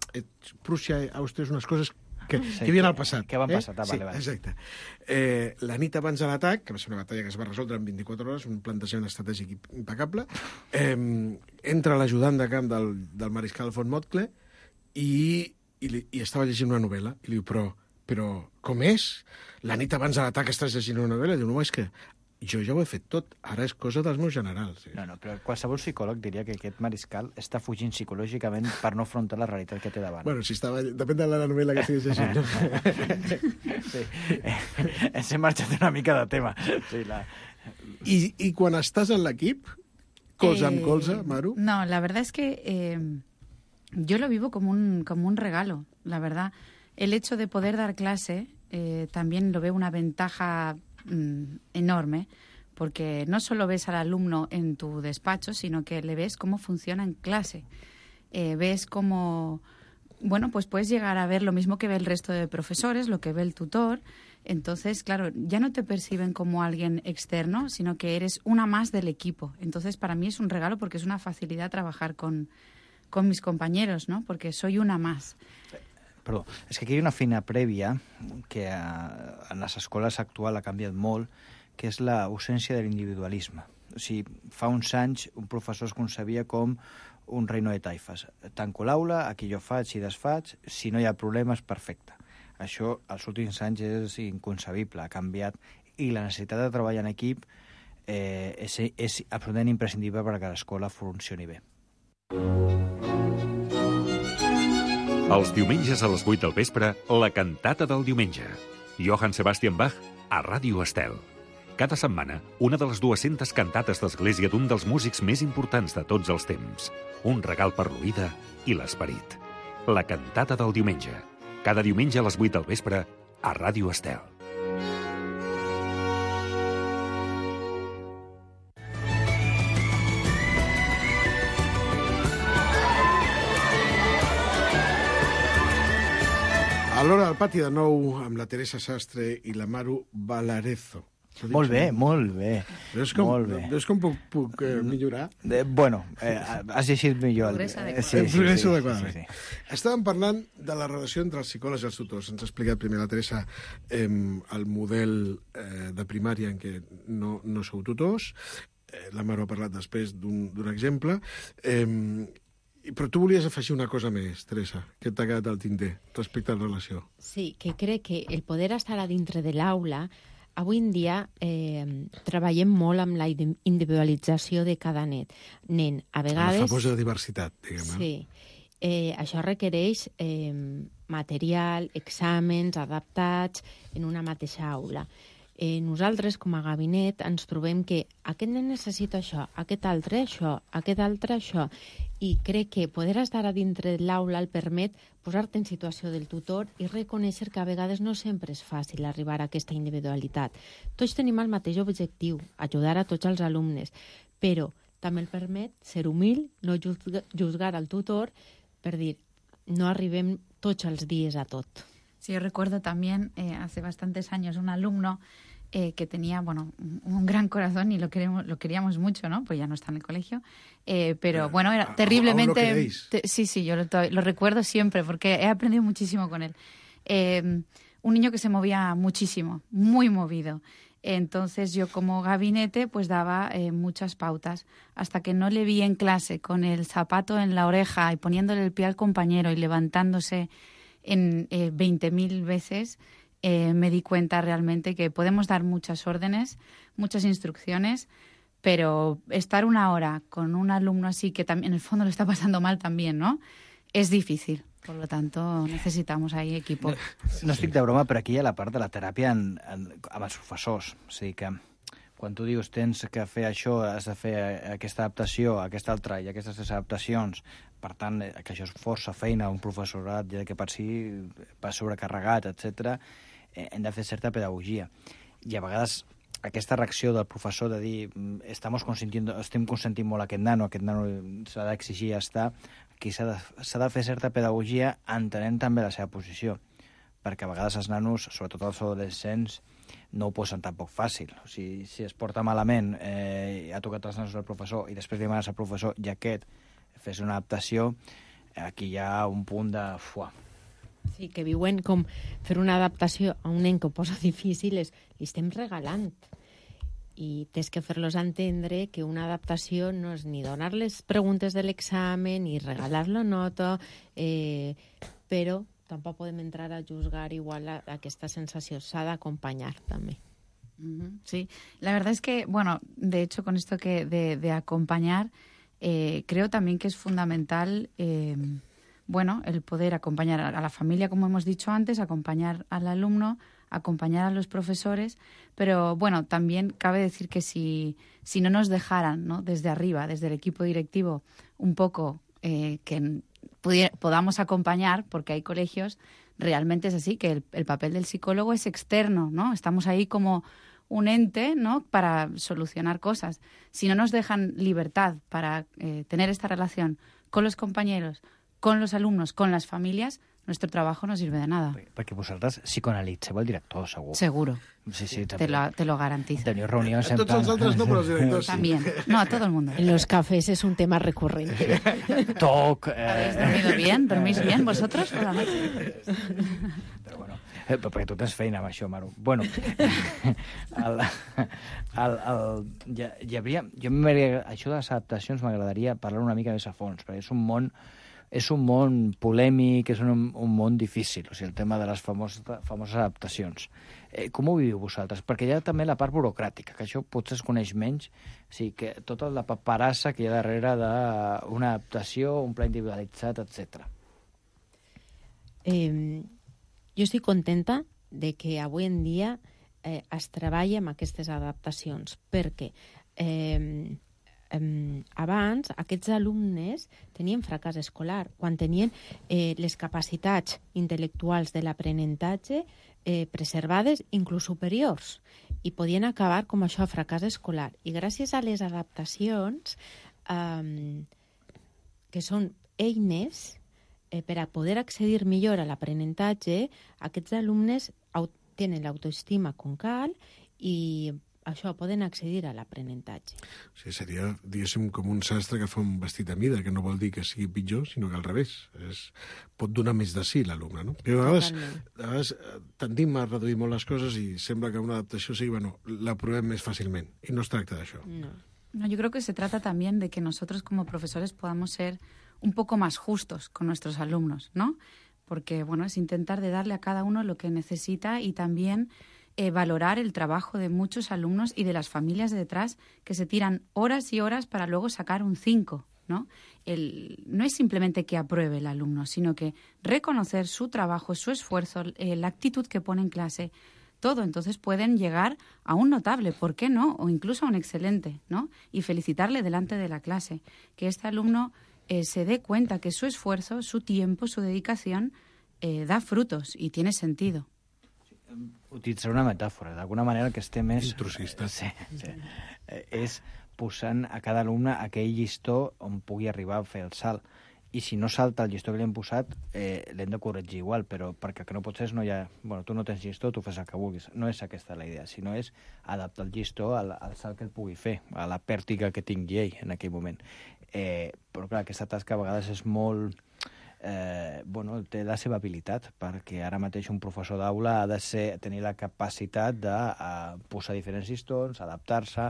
Prússia i Àustria és unes coses que, sí, que havien al passat. Que van passar, eh? Sí, vale, vale. Exacte. Eh, la nit abans de l'atac, que va ser una batalla que es va resoldre en vint-i-quatre hores, un plantejament estratègic impecable, eh, entra l'ajudant de camp del, del mariscal von Moltke i I, li, i estava llegint una novel·la, i li diu, però, però com és? La nit abans de l'atac estàs llegint una novel·la? I diu, no, és que jo ja ho he fet tot, ara és cosa dels meus generals. No, no, però qualsevol psicòleg diria que aquest mariscal està fugint psicològicament per no afrontar la realitat que té davant. Bueno, si estava... Depèn de la novel·la que estiguis llegint. Sí, ens hem marxat una mica de tema. Sí, la... I, I quan estàs en l'equip, colze amb colze, Maru? No, la verdad es que... Eh... Yo lo vivo como un, como un regalo, la verdad. El hecho de poder dar clase eh, también lo veo una ventaja mmm, enorme, porque no solo ves al alumno en tu despacho, sino que le ves cómo funciona en clase. Eh, ves cómo, bueno, pues puedes llegar a ver lo mismo que ve el resto de profesores, lo que ve el tutor. Entonces, claro, ya no te perciben como alguien externo, sino que eres una más del equipo. Entonces, para mí es un regalo porque es una facilidad trabajar con... con mis compañeros, ¿no? Porque soy una más. Perdó, és que aquí hi ha una feina prèvia que a, en les escoles actual ha canviat molt, que és l'ausència de l'individualisme. O sigui, fa uns anys un professor es concebia com un reino de taifes. Tanco l'aula, aquí jo faig i desfaig, si no hi ha problemes, perfecte. Això, als últims anys, és inconcebible, ha canviat, i la necessitat de treballar en equip eh, és, és absolutament imprescindible perquè l'escola funcioni bé. Els diumenges a les vuit del vespre, la cantata del diumenge. Johann Sebastian Bach a Ràdio Estel. Cada setmana, una de les dues-centes cantates d'església d'un dels músics més importants de tots els temps. Un regal per l'oïda i l'esperit. La cantata del diumenge. Cada diumenge a les vuit del vespre a Ràdio Estel. A l'hora del pati, de nou, amb la Teresa Sastre i la Maru Valarezo. Molt bé, molt bé. Veus com, molt bé. Veus com puc, puc eh, millorar? De, bueno, eh, has llegit millor. Progressa Eh, adequadament. sí, sí, Progressa sí, adequadament. sí, sí. Estàvem parlant de la relació entre els psicòlegs i els tutors. Ens ha explicat primer la Teresa eh, el model eh, de primària en què no, no sou tutors. Eh, la Maru ha parlat després d'un exemple. Eh, però tu volies afegir una cosa més, Teresa, que t'ha quedat al tinter respecte a la relació. Sí, que crec que el poder estar a dintre de l'aula, avui en dia eh, treballem molt amb la individualització de cada net. nen. A vegades... La famosa diversitat, diguem-ne. Sí. Eh, això requereix eh, material, exàmens adaptats en una mateixa aula. Eh, nosaltres, com a gabinet, ens trobem que aquest nen necessita això, aquest altre això, aquest altre això, i crec que poder estar a dintre de l'aula el permet posar-te en situació del tutor i reconèixer que a vegades no sempre és fàcil arribar a aquesta individualitat. Tots tenim el mateix objectiu, ajudar a tots els alumnes, però també el permet ser humil, no juzgar, juzgar al tutor per dir, no arribem tots els dies a tot. Sí, yo recuerdo también eh, hace bastantes años un alumno eh, que tenía, bueno, un, un gran corazón y lo queremos, lo queríamos mucho, ¿no? Pues ya no está en el colegio, eh, pero bueno, era terriblemente... ¿Aún lo queréis? Te, sí, sí, yo lo, lo recuerdo siempre porque he aprendido muchísimo con él. Eh, un niño que se movía muchísimo, muy movido. Entonces yo como gabinete pues daba eh, muchas pautas hasta que no le vi en clase con el zapato en la oreja y poniéndole el pie al compañero y levantándose en eh, veinte mil veces, eh, me di cuenta realmente que podemos dar muchas órdenes, muchas instrucciones, pero estar una hora con un alumno así que también en el fondo lo está pasando mal también, ¿no? Es difícil. Por lo tanto, necessitamos ahí equipo. No, no estic de broma, però aquí hi ha la part de la teràpia en, en, amb els professors. O sigui que quan tu dius tens que fer això, has de fer aquesta adaptació, aquesta altra i aquestes tres adaptacions, per tant, que això és força feina, un professorat ja que per si va sobrecarregat, etcètera, eh, hem de fer certa pedagogia. I a vegades aquesta reacció del professor de dir estamos consentiendo, estem consentint molt aquest nano, aquest nano s'ha d'exigir ja està, aquí s'ha de, s'ha de fer certa pedagogia entenent també la seva posició, perquè a vegades els nanos, sobretot els adolescents, no ho posen tampoc fàcil. O sigui, si es porta malament, eh, ha tocat els nanos al professor i després li demanes al professor i aquest fes una adaptació, aquí hi ha un punt de... Fuà. Sí, que viuen com fer una adaptació a un nen que ho posa difícil, és, li estem regalant. I tens que fer-los entendre que una adaptació no és ni donar les preguntes de l'examen ni regalar la nota, eh, però tampoc podem entrar a juzgar igual a, a aquesta sensació. S'ha d'acompanyar també. Uh-huh. Sí, la verdad es que, bueno, de hecho con esto que de, de acompañar, eh, creo también que es fundamental... Eh, bueno, el poder acompañar a la familia, como hemos dicho antes, acompañar al alumno, acompañar a los profesores, pero bueno, también cabe decir que si, si no nos dejaran, ¿no?, desde arriba, desde el equipo directivo, un poco eh, que pudiera, podamos acompañar, porque hay colegios, realmente es así, que el, el papel del psicólogo es externo, ¿no? Estamos ahí como un ente, ¿no?, para solucionar cosas. Si no nos dejan libertad para eh, tener esta relación con los compañeros, con los alumnos, con las familias, nuestro trabajo no sirve de nada. Perquè vosaltres psicoanalitzeu el director, segur. Seguro. Sí, sí, te, lo, te lo garantizo. Teniu reunions a tots els altres no, però els directors sí. También. No, a todo el mundo. En los cafés es un tema recurrente. Toc... Eh... ¿Habéis dormido bien? ¿Dormís bien vosotros por la noche? Però bueno, eh, perquè tu tens feina amb això, Maru. Bueno, el, el, el, hi, hi havia... Jo m'agradaria, això de les adaptacions m'agradaria parlar una mica més a fons, perquè és un món és un món polèmic, és un, un món difícil, o sigui, el tema de les famoses, famoses adaptacions. Eh, com ho viviu vosaltres? Perquè hi ha també la part burocràtica, que això potser es coneix menys, o sigui, que tota la paperassa que hi ha darrere d'una adaptació, un pla individualitzat, etcètera. Eh, jo estic contenta de que avui en dia eh, es treballa amb aquestes adaptacions, perquè eh, Um, abans aquests alumnes tenien fracàs escolar quan tenien eh, les capacitats intel·lectuals de l'aprenentatge eh, preservades, inclús superiors, i podien acabar com això, fracàs escolar. I gràcies a les adaptacions, um, que són eines, eh, per a poder accedir millor a l'aprenentatge, aquests alumnes au- tenen l'autoestima com cal i això, poden accedir a l'aprenentatge. O sigui, seria, diguéssim, com un sastre que fa un vestit a mida, que no vol dir que sigui pitjor, sinó que al revés. És, pot donar més de sí l'alumne, no? Però a vegades, a vegades tendim a reduir molt les coses i sembla que una adaptació sigui, bueno, la provem més fàcilment. I no es tracta d'això. No. No, yo creo que se trata también de que nosotros como profesores podamos ser un poco más justos con nuestros alumnos, ¿no? Porque, bueno, es intentar de darle a cada uno lo que necesita y también eh, valorar el trabajo de muchos alumnos y de las familias de detrás que se tiran horas y horas para luego sacar un cinco, ¿no? El, no es simplemente que apruebe el alumno, sino que reconocer su trabajo, su esfuerzo, eh, la actitud que pone en clase, todo. Entonces pueden llegar a un notable, ¿por qué no? O incluso a un excelente, ¿no? Y felicitarle delante de la clase. Que este alumno eh, se dé cuenta que su esfuerzo, su tiempo, su dedicación eh, da frutos y tiene sentido. Utilitzar una metàfora. D'alguna manera el que estem és... Intrusista. Sí, sí. Eh, és posant a cada alumne aquell llistó on pugui arribar a fer el salt. I si no salta el llistó que li hem posat, eh, l'hem de corregir igual, però perquè que no pot ser no hi ha... Bueno, tu no tens llistó, tu fes el que vulguis. No és aquesta la idea, sinó és adaptar el llistó al, al salt que el pugui fer, a la pèrtiga que tingui ell en aquell moment. Eh, però clar, aquesta tasca a vegades és molt... Eh, bueno, té la seva habilitat, perquè ara mateix un professor d'aula ha de ser, tenir la capacitat de uh, posar diferents llistons, adaptar-se,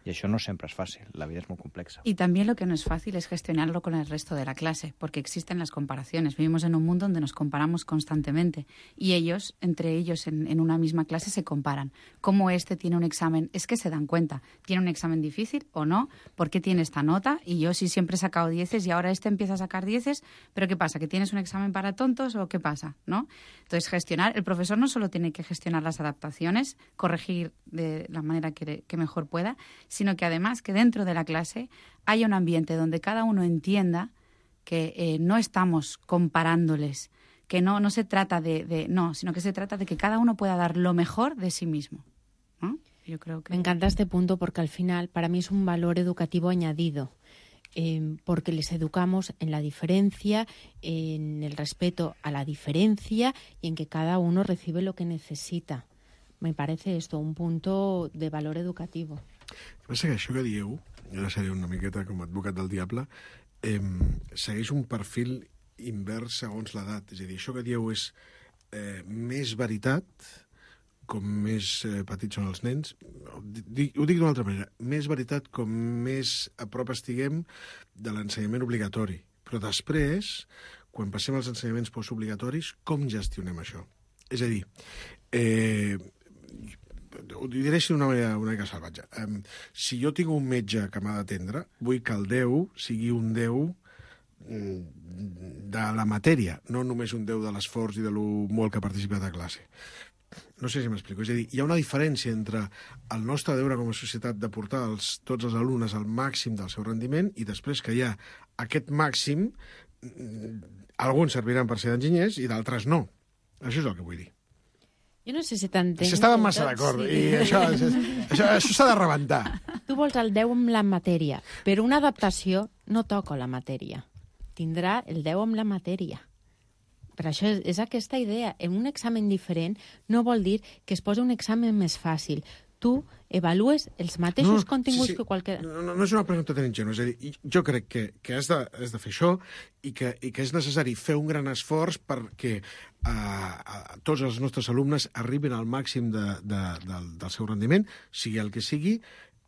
y eso no siempre es fácil, la vida es muy compleja. Y también lo que no es fácil es gestionarlo con el resto de la clase, porque existen las comparaciones. Vivimos en un mundo donde nos comparamos constantemente y ellos, entre ellos en, en una misma clase, se comparan. ¿Cómo este tiene un examen? Es que se dan cuenta, ¿tiene un examen difícil o no? ¿Por qué tiene esta nota? Y yo sí siempre he sacado dieces y ahora este empieza a sacar dieces, ¿pero qué pasa? ¿Que tienes un examen para tontos o qué pasa? ¿No? Entonces, gestionar, el profesor no solo tiene que gestionar las adaptaciones, corregir de la manera que, que mejor pueda, sino que además que dentro de la clase haya un ambiente donde cada uno entienda que eh, no estamos comparándoles, que no, no se trata de, de... No, sino que se trata de que cada uno pueda dar lo mejor de sí mismo, ¿no? Yo creo que... Me encanta este punto porque al final para mí es un valor educativo añadido. Eh, porque les educamos en la diferencia, en el respeto a la diferencia y en que cada uno recibe lo que necesita. Me parece esto un punto de valor educativo. El que passa que això que dieu, jo ara seré una miqueta com a advocat del diable, eh, segueix un perfil invers segons l'edat. És a dir, això que dieu és eh, més veritat, com més eh, petits són els nens. Ho dic, ho dic d'una altra manera. Més veritat com més a prop estiguem de l'ensenyament obligatori. Però després, quan passem als ensenyaments postobligatoris, com gestionem això? És a dir, eh, ho diré així d'una manera una mica salvatge. Um, si jo tinc un metge que m'ha d'atendre, vull que el deu sigui un deu de la matèria, no només un deu de l'esforç i de lo molt que ha participat a classe. No sé si m'explico. És a dir, hi ha una diferència entre el nostre deure com a societat de portar els, tots els alumnes al màxim del seu rendiment i després que hi ha aquest màxim, alguns serviran per ser enginyers i d'altres no. Això és el que vull dir. Jo no sé si t'entenc. Estàvem massa d'acord sí. I això, això, això, això s'ha de rebentar. Tu vols el deu amb la matèria, però una adaptació no toca la matèria. Tindrà el deu amb la matèria. Per això és, és aquesta idea. En un examen diferent no vol dir que es posi un examen més fàcil. Tu avalues els mateixos no, continguts sí, sí. que qualque... No, no, no és una pregunta tan ingènua. És a dir, jo crec que, que has, de, has de fer això i que, i que és necessari fer un gran esforç perquè uh, uh, tots els nostres alumnes arribin al màxim de, de, de, del seu rendiment, sigui el que sigui,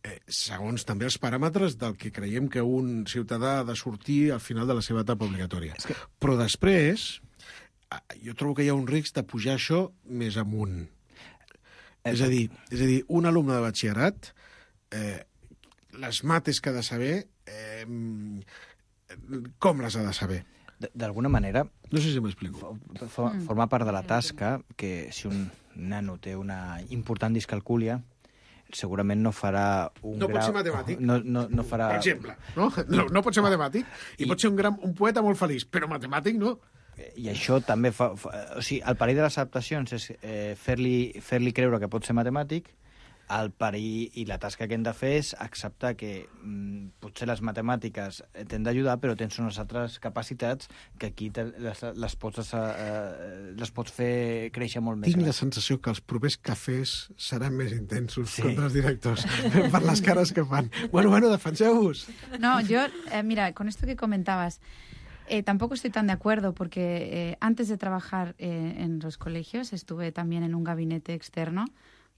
eh, segons també els paràmetres del que creiem que un ciutadà ha de sortir al final de la seva etapa obligatòria. És que... Però després, uh, jo trobo que hi ha un risc de pujar això més amunt. És a dir, és a dir, un alumne de batxillerat, eh, les mates que ha de saber, eh, com les ha de saber? D'alguna manera... No sé si m'explico. For, forma part de la tasca que si un nano té una important discalcúlia, segurament no farà un no grau... pot ser matemàtic. No, no, no farà... Per exemple, no? No, no pot ser matemàtic i, i pot ser un, gran, un poeta molt feliç, però matemàtic no. I això també fa... fa o sigui, el perill de les adaptacions és eh, fer-li fer-li creure que pot ser matemàtic el perill i la tasca que hem de fer és acceptar que mm, potser les matemàtiques t'han d'ajudar, però tens unes altres capacitats que aquí te, les, les, pots, eh, les pots fer créixer molt més. Tinc gran. la sensació que els propers cafès seran més intensos sí. contra els directors, per les cares que fan. Bueno, bueno, defenseu-vos. No, yo, eh, mira, con esto que comentabas, eh, tampoco estoy tan de acuerdo porque eh, antes de trabajar eh, en los colegios estuve también en un gabinete externo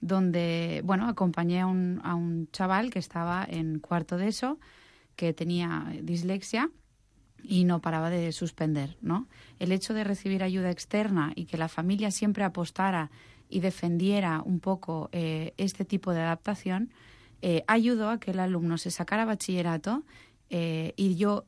donde, bueno, acompañé a un, a un chaval que estaba en cuarto de eso, que tenía dislexia y no paraba de suspender, ¿no? El hecho de recibir ayuda externa y que la familia siempre apostara y defendiera un poco eh, este tipo de adaptación eh, ayudó a que el alumno se sacara bachillerato eh, y yo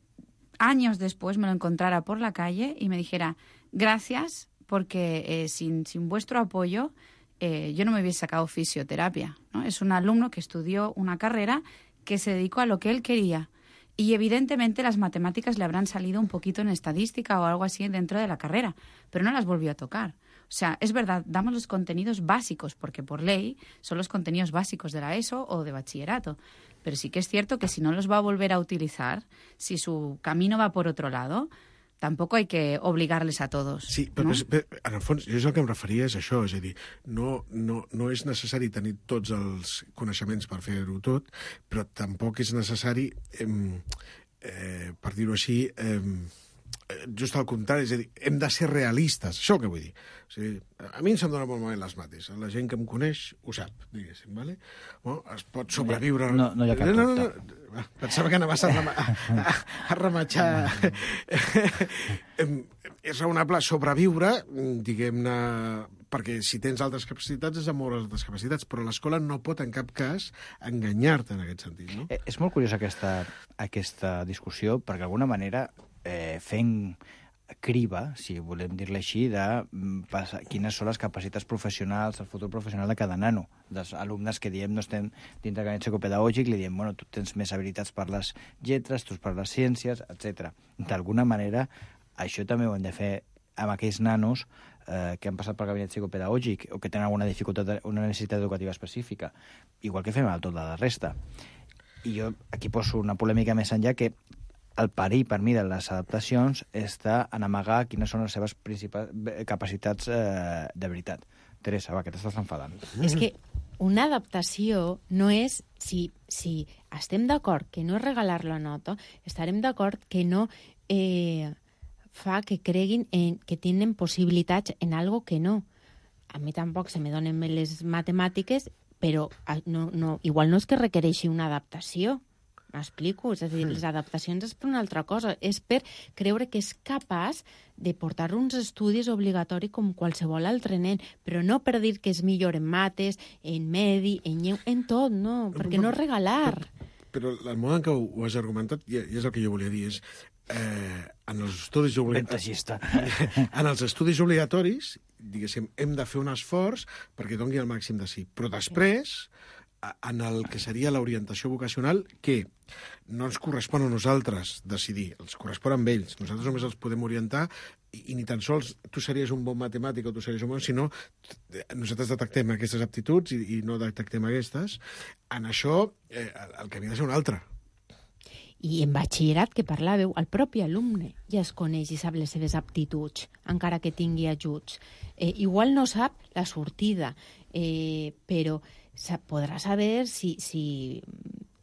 años después me lo encontrara por la calle y me dijera gracias porque eh, sin, sin vuestro apoyo eh, yo no me hubiese sacado fisioterapia, ¿no? Es un alumno que estudió una carrera que se dedicó a lo que él quería y evidentemente las matemáticas le habrán salido un poquito en estadística o algo así dentro de la carrera, pero no las volvió a tocar. O sea, es verdad, damos los contenidos básicos porque por ley son los contenidos básicos de la ESO o de bachillerato. Pero sí que és cierto que si no los va a volver a utilizar, si su camino va por otro lado, tampoco hay que obligarles a todos. Sí, però, ¿no? però, però en el fons, jo és el que em referia és això, és a dir, no, no, no és necessari tenir tots els coneixements per fer-ho tot, però tampoc és necessari, eh, eh, per dir-ho així, eh, just al contrari, és a dir, hem de ser realistes, això que vull dir. O sigui, a mi em se'm dona molt malament les mates, la gent que em coneix ho sap, diguéssim, vale? Bueno, es pot sobreviure... No, no hi ha cap no, dubte. no, no. Pensava que anaves a, rema... a, a rematxar... És raonable sobreviure, diguem-ne, perquè si tens altres capacitats és amb moltes altres capacitats, però l'escola no pot en cap cas enganyar-te en aquest sentit, no? Eh, és molt curiosa aquesta, aquesta discussió, perquè d'alguna manera eh, fent criba, si volem dir-li així, de passar, quines són les capacitats professionals, el futur professional de cada nano. Dels alumnes que diem no estem dins del gabinet psicopedagògic, li diem, bueno, tu tens més habilitats per les lletres, tu per les ciències, etcètera. D'alguna manera, això també ho hem de fer amb aquells nanos eh, que han passat pel gabinet psicopedagògic o que tenen alguna dificultat, una necessitat educativa específica, igual que fem amb tota la resta. I jo aquí poso una polèmica més enllà que el perill per mi de les adaptacions està en amagar quines són les seves principals capacitats eh, de veritat. Teresa, va, que t'estàs enfadant. És que una adaptació no és... Si, si estem d'acord que no és regalar la nota, estarem d'acord que no eh, fa que creguin en, que tenen possibilitats en algo que no. A mi tampoc se me donen bé les matemàtiques, però no, no, igual no és que requereixi una adaptació. M'explico? És a dir, les adaptacions és per una altra cosa. És per creure que és capaç de portar uns estudis obligatoris com qualsevol altre nen, però no per dir que és millor en mates, en medi, en lleu, en tot, no, perquè no és regalar. Però, però el mode en què ho, ho has argumentat, i és el que jo volia dir, és eh, en els estudis obligatoris... en els estudis obligatoris, diguéssim, hem de fer un esforç perquè doni el màxim de sí. Però després... en el que seria l'orientació vocacional, que no ens correspon a nosaltres decidir, els correspon a ells. Nosaltres només els podem orientar i, i ni tan sols tu series un bon matemàtic o tu series un bon, sinó nosaltres detectem aquestes aptituds i, i no detectem aquestes. En això, eh, el camí ha de ser un altre. I en batxillerat, que parlàveu, el propi alumne ja es coneix i sap les seves aptituds, encara que tingui ajuts. Eh, igual no sap la sortida, eh, però podrà saber si, si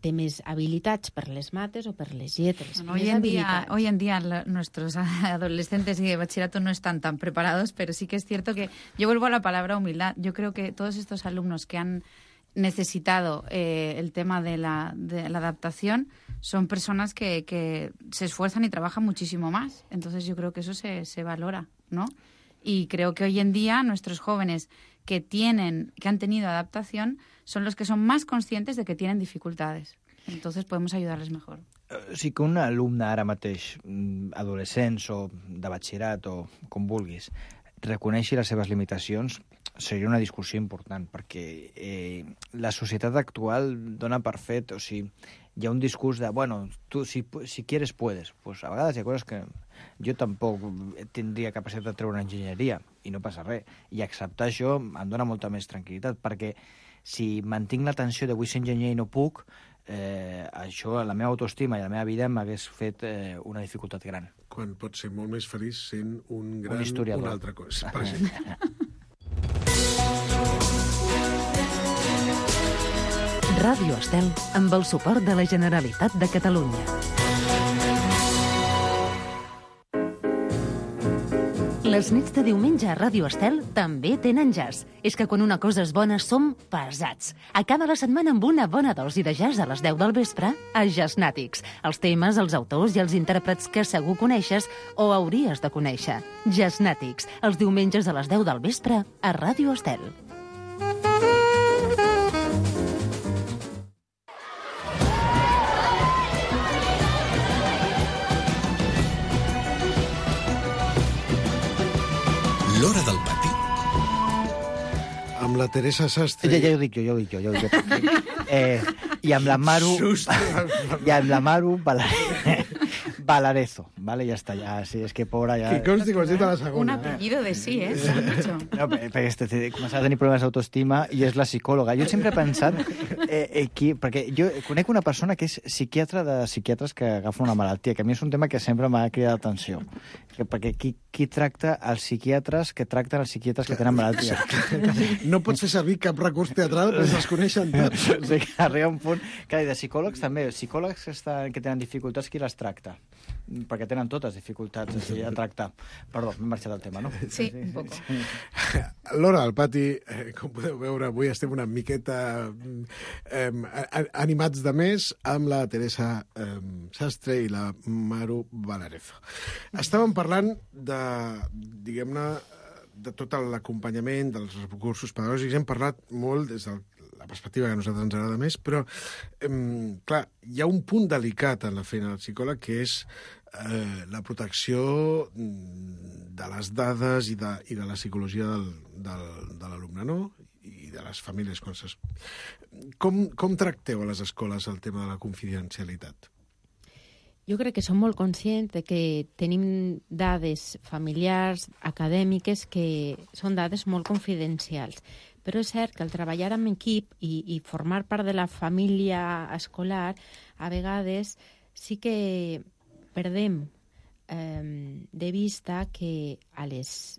té més habilitats per les mates o per les lletres. Bueno, hoy, en día, hoy en día nuestros adolescentes y de bachillerato no están tan preparados, pero sí que es cierto que yo vuelvo a la palabra humildad. Yo creo que todos estos alumnos que han necesitado eh, el tema de la, de la adaptación son personas que, que se esfuerzan y trabajan muchísimo más. Entonces yo creo que eso se, se valora, ¿no? Y creo que hoy en día nuestros jóvenes que tienen, que han tenido adaptación son los que son más conscientes de que tienen dificultades. Entonces podemos ayudarles mejor. O sigui que un alumne ara mateix, adolescents o de batxillerat o com vulguis, reconeixi les seves limitacions seria una discussió important, perquè eh, la societat actual dona per fet, o sigui, hi ha un discurs de, bueno, tu si, si quieres puedes. Pues a vegades hi ha coses que jo tampoc tindria capacitat de treure una enginyeria i no passa res. I acceptar això em dona molta més tranquil·litat, perquè si mantinc la tensió de vull ser enginyer i no puc, eh, això, la meva autoestima i la meva vida m'hagués fet eh, una dificultat gran. Quan pots ser molt més feliç sent un gran... Un historiador. Una altra cosa, per exemple. Ràdio Estel, amb el suport de la Generalitat de Catalunya. Les nits de diumenge a Ràdio Estel també tenen jazz. És que quan una cosa és bona som pesats. Acaba la setmana amb una bona dosi de jazz a les deu del vespre a Jazznàtics. Els temes, els autors i els intèrprets que segur coneixes o hauries de conèixer. Jazznàtics, els diumenges a les deu del vespre a Ràdio Estel. L'Hora del Pati. Amb la Teresa Sastre... Ja, ja ho dic jo, ja ho dic jo. Ja ho dic jo. Eh, I amb la Maru... I amb la Maru Valarezo, ¿vale? Ja està, ja, sí, és que pobra ja... Que consti que ho has dit a la segona. Un apellido de sí, eh? No, perquè este, començava a tenir problemes d'autoestima i és la psicòloga. Jo sempre he pensat... Eh, eh, qui, perquè jo conec una persona que és psiquiatra de psiquiatres que agafen una malaltia, que a mi és un tema que sempre m'ha cridat l'atenció. Perquè qui, qui tracta els psiquiatres que tracten els psiquiatres que tenen malaltia? No pots fer servir cap recurs teatral, però es coneixen tots. O sigui, arriba un punt... Clar, de psicòlegs també. Psicòlegs que, estan, que tenen dificultats, qui les tracta? Perquè tenen totes dificultats o sigui, a tractar. Perdó, m'he marxat del tema, no? Sí, un poco. L'Hora del Pati, eh, com podeu veure, avui estem una miqueta eh, animats de més amb la Teresa eh, Sastre i la Maru Valarezo. Estàvem parlant de, diguem-ne, de tot l'acompanyament, dels recursos pedagògics. Hem parlat molt des de la perspectiva que a nosaltres ens agrada més, però, eh, clar, hi ha un punt delicat en la feina del psicòleg, que és eh, la protecció de les dades i de, i de la psicologia del, del, de l'alumne, no? I de les famílies. Quan ses... com, com tracteu a les escoles el tema de la confidencialitat? Jo crec que som molt conscients de que tenim dades familiars, acadèmiques, que són dades molt confidencials. Però és cert que al treballar en equip i, i formar part de la família escolar, a vegades sí que perdem eh, de vista que a les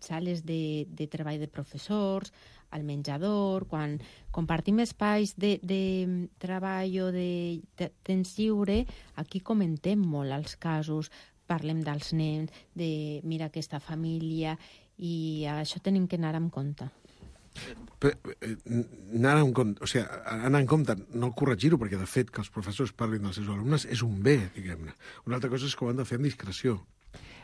sales de, de treball de professors, al menjador, quan compartim espais de, de treball o de, de temps lliure, aquí comentem molt els casos, parlem dels nens, de mira aquesta família, i això tenim que anar amb compte. Però, eh, anar en compte, o sigui, anar en compte, no corregir-ho, perquè de fet que els professors parlin dels seus alumnes és un bé, diguem-ne. Una altra cosa és que ho han de fer amb discreció.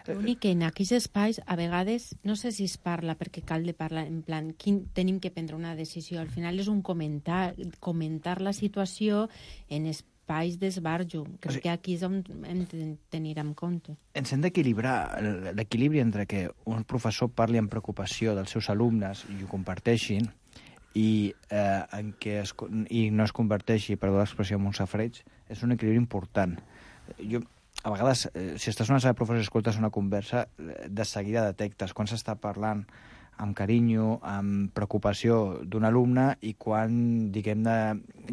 L'únic que en aquells espais, a vegades, no sé si es parla perquè cal de parlar en plan, quin, tenim que prendre una decisió. Al final és un comentar, comentar la situació en espais d'esbarjo. Crec o sigui, que aquí és on hem de tenir en compte. Ens hem d'equilibrar l'equilibri entre que un professor parli amb preocupació dels seus alumnes i ho comparteixin i, eh, en què es, i no es converteixi, perdó l'expressió, en un safreig, és un equilibri important. Jo... A vegades, eh, si estàs en una sala de professors i escoltes una conversa, de seguida detectes quan s'està parlant amb carinyo, amb preocupació d'un alumne i quan, diguem-ne,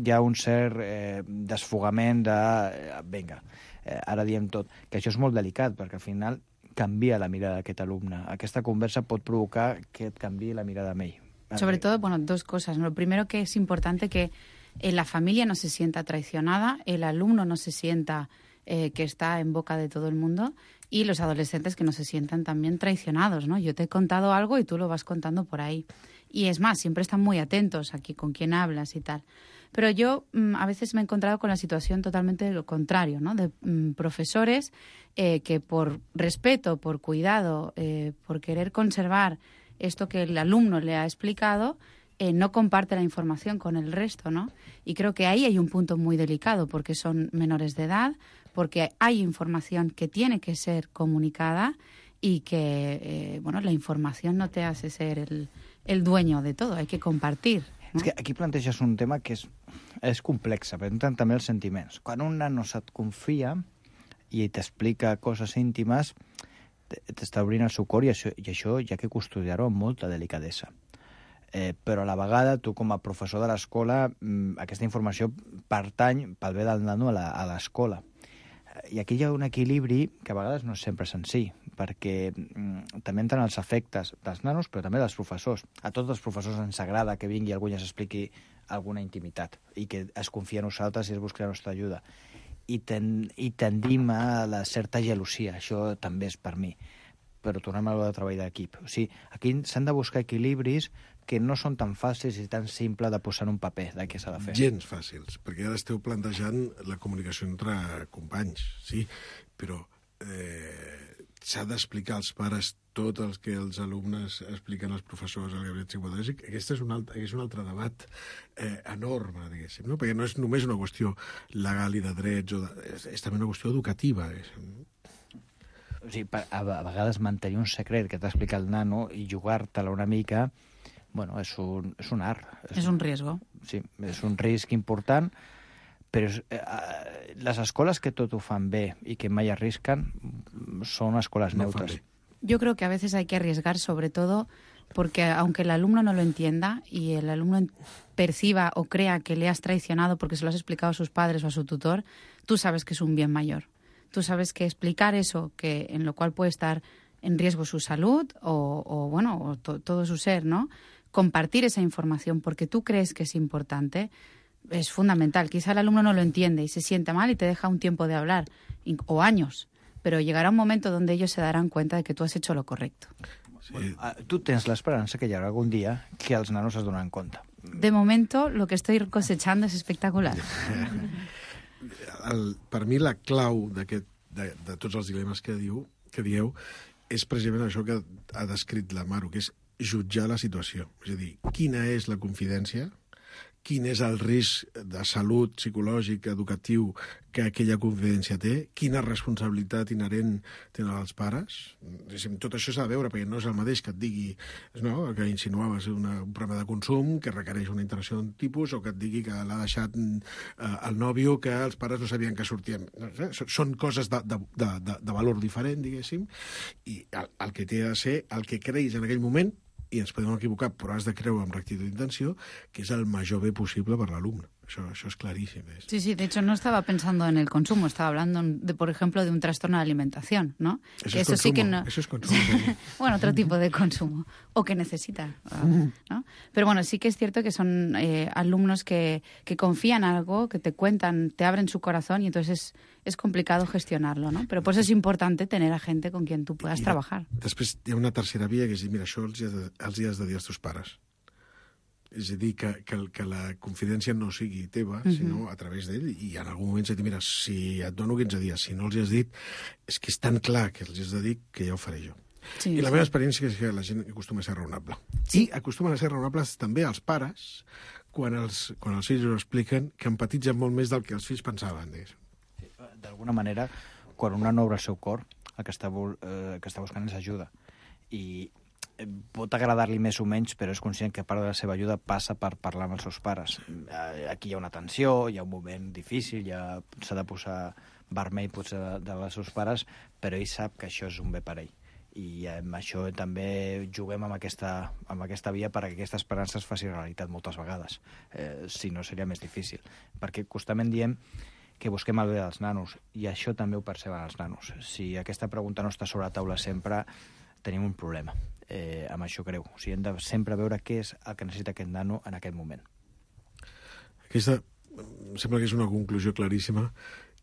hi ha un cert eh, desfogament de... Eh, vinga, eh, ara diem tot. Que això és molt delicat, perquè al final canvia la mirada d'aquest alumne. Aquesta conversa pot provocar que et canviï la mirada amb ell. Sobre todo, bueno, dos cosas. Lo primero, que es importante que eh, la familia no se sienta traicionada, el alumno no se sienta... Eh, que está en boca de todo el mundo, y los adolescentes que no se sientan también traicionados, ¿no? Yo te he contado algo y tú lo vas contando por ahí. Y es más, siempre están muy atentos aquí con quién hablas y tal. Pero yo mmm, a veces me he encontrado con la situación totalmente lo contrario, ¿no? De mmm, profesores eh, que por respeto, por cuidado, eh, por querer conservar esto que el alumno le ha explicado, Eh, no comparte la información con el resto, ¿no? Y creo que ahí hay un punto muy delicado, porque son menores de edad, porque hay información que tiene que ser comunicada y que, eh, bueno, la información no te hace ser el, el dueño de todo, hay que compartir. És que aquí planteges un tema que és, és complex, però entren també els sentiments. Quan un nano se't confia i t'explica coses íntimes, t'està obrint el seu cor i això, i això hi ha que custodiar-ho amb molta delicadesa. Eh, però a la vegada, tu com a professor de l'escola, aquesta informació pertany pel bé del nano a l'escola. I aquí hi ha un equilibri que a vegades no és sempre senzill, perquè mm, també entren els efectes dels nanos, però també dels professors. A tots els professors ens agrada que vingui algú i ens expliqui alguna intimitat i que es confia en nosaltres i es busqui la nostra ajuda. I, ten, i tendim a la certa gelosia, això també és per mi. Però tornem a lo de treball d'equip. O sigui, aquí s'han de buscar equilibris que no són tan fàcils i tan simple de posar en un paper de què s'ha de fer. Gens fàcils, perquè ara esteu plantejant la comunicació entre companys, sí, però eh, s'ha d'explicar als pares tot el que els alumnes expliquen als professors al gabinet psicopedagògic. Aquest és un altre, és un altre debat eh, enorme, diguéssim, no? Perquè no és només una qüestió legal i de drets, o de, és, és també una qüestió educativa. O sigui, a, a vegades mantenir un secret que t'ha explicat el nano i jugar-te-la una mica, bueno, és un, és un art. És, és un riesgo. Sí, és un risc important, però eh, les escoles que tot ho fan bé i que mai arrisquen són escoles no neutres. Yo creo que a veces hay que arriesgar, sobre todo porque aunque el alumno no lo entienda y el alumno perciba o crea que le has traicionado porque se lo has explicado a sus padres o a su tutor, tú sabes que es un bien mayor. Tú sabes que explicar eso, que en lo cual puede estar en riesgo su salud o, o bueno, o to, todo su ser, ¿no? Compartir esa información porque tú crees que es importante es fundamental. Quizá el alumno no lo entiende y se siente mal y te deja un tiempo de hablar, o años, pero llegará un momento donde ellos se darán cuenta de que tú has hecho lo correcto. Sí. Bueno, tu tens l'esperança que hi haurà algun dia que els nanos es donaran compte. De momento, lo que estoy cosechando es espectacular. El, per mi la clau de, de tots els dilemes que diu que dieu és precisament això que ha descrit la Maru, que és jutjar la situació. És a dir, quina és la confidència, quin és el risc de salut psicològic, educatiu, que aquella confidència té, quina responsabilitat inherent tenen els pares. Tot això s'ha de veure, perquè no és el mateix que et digui, no, que insinuaves una, un problema de consum que requereix una interacció d'un tipus, o que et digui que l'ha deixat eh, el nòvio, que els pares no sabien que sortien. Són coses de, de, de, de valor diferent, diguéssim, i el, el que té de ser el que creguis en aquell moment, i ens podem equivocar, però has de creure amb rectitud d'intenció, que és el major bé possible per l'alumne. Eso, eso es clarísimo. ¿Es? Sí, sí, de hecho no estaba pensando en el consumo, estaba hablando, de, por ejemplo, de un trastorno de alimentación, ¿no? Eso que es eso consumo, sí que no... eso es consumo. Bueno, otro tipo de consumo, o que necesita, ¿no? Pero bueno, sí que es cierto que son eh, alumnos que, que confían en algo, que te cuentan, te abren su corazón y entonces es, es complicado gestionarlo, ¿no? Pero pues es importante tener a gente con quien tú puedas I trabajar. Després hi ha una tercera via, que és dir, mira, això els hi has de, els hi has de dir als teus pares. És a dir, que, que, que la confidència no sigui teva, uh-huh. sinó a través d'ell, i en algun moment s'ha dit, mira, si et dono quinze dies, si no els hi has dit, és que és tan clar que els hi has de dir que ja ho faré jo. Sí, I la sí. meva experiència és que la gent acostuma a ser raonable. Sí. I acostumen a ser raonables també els pares quan els, quan els fills ho expliquen, que empatitzen molt més del que els fills pensaven. Sí, d'alguna manera, quan un nano obre el seu cor, el que està, eh, que està buscant és ajuda. I pot agradar-li més o menys, però és conscient que part de la seva ajuda passa per parlar amb els seus pares. Aquí hi ha una tensió, hi ha un moment difícil, ja s'ha de posar vermell potser de, de els seus pares, però ell sap que això és un bé per ell. I amb això també juguem amb aquesta, amb aquesta via perquè aquesta esperança es faci realitat moltes vegades. Eh, si no, seria més difícil. Perquè constantment diem que busquem el bé dels nanos, i això també ho perceben els nanos. Si aquesta pregunta no està sobre la taula sempre, tenim un problema. Eh, amb això creu. O sigui, hem de sempre veure què és el que necessita aquest nano en aquest moment. Aquesta em sembla que és una conclusió claríssima,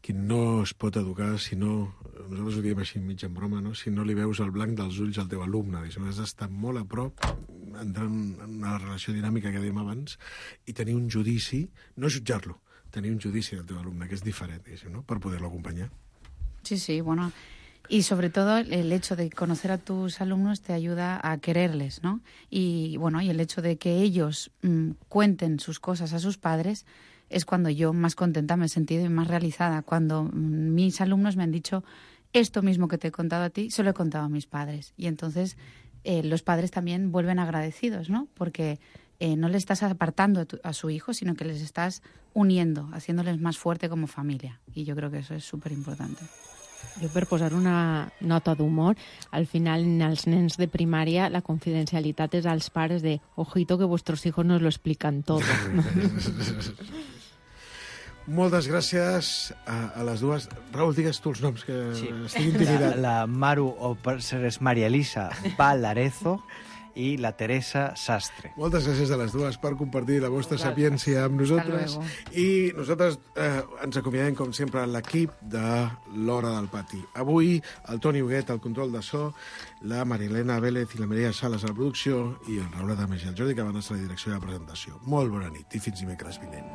que no es pot educar si no, nosaltres ho diem així mig en broma, no? Si no li veus el blanc dels ulls al teu alumne. Has d'estar molt a prop, entrar en una relació dinàmica que dèiem abans, i tenir un judici, no jutjar-lo, tenir un judici del teu alumne, que és diferent, no? Per poder-lo acompanyar. Sí, sí, bueno... Y sobre todo el hecho de conocer a tus alumnos te ayuda a quererles, ¿no? Y bueno, y el hecho de que ellos mmm, cuenten sus cosas a sus padres es cuando yo más contenta me he sentido y más realizada. Cuando mmm, mis alumnos me han dicho, esto mismo que te he contado a ti, se lo he contado a mis padres. Y entonces eh, los padres también vuelven agradecidos, ¿no? Porque eh, no le estás apartando a, tu, a su hijo, sino que les estás uniendo, haciéndoles más fuerte como familia. Y yo creo que eso es súper importante. Jo, per posar una nota d'humor, al final, en els nens de primària, la confidencialitat és als pares de ojito que vuestros hijos nos lo explican todo. Moltes gràcies a, a les dues. Raül, digues tu els noms, que Sí. estic intimidat. La, la Maru, o per ser és Maria Elisa Valarezo, i la Teresa Sastre. Moltes gràcies a les dues per compartir la vostra sapiència amb nosaltres. I nosaltres eh, ens acomiadem, com sempre, a l'equip de l'Hora del Pati. Avui, el Toni Huguet al control de so, la Marilena Vélez i la Maria Sales a la producció i el Raül Adames i el Jordi Cabanes a la direcció de la presentació. Molt bona nit i fins dimecres vinent.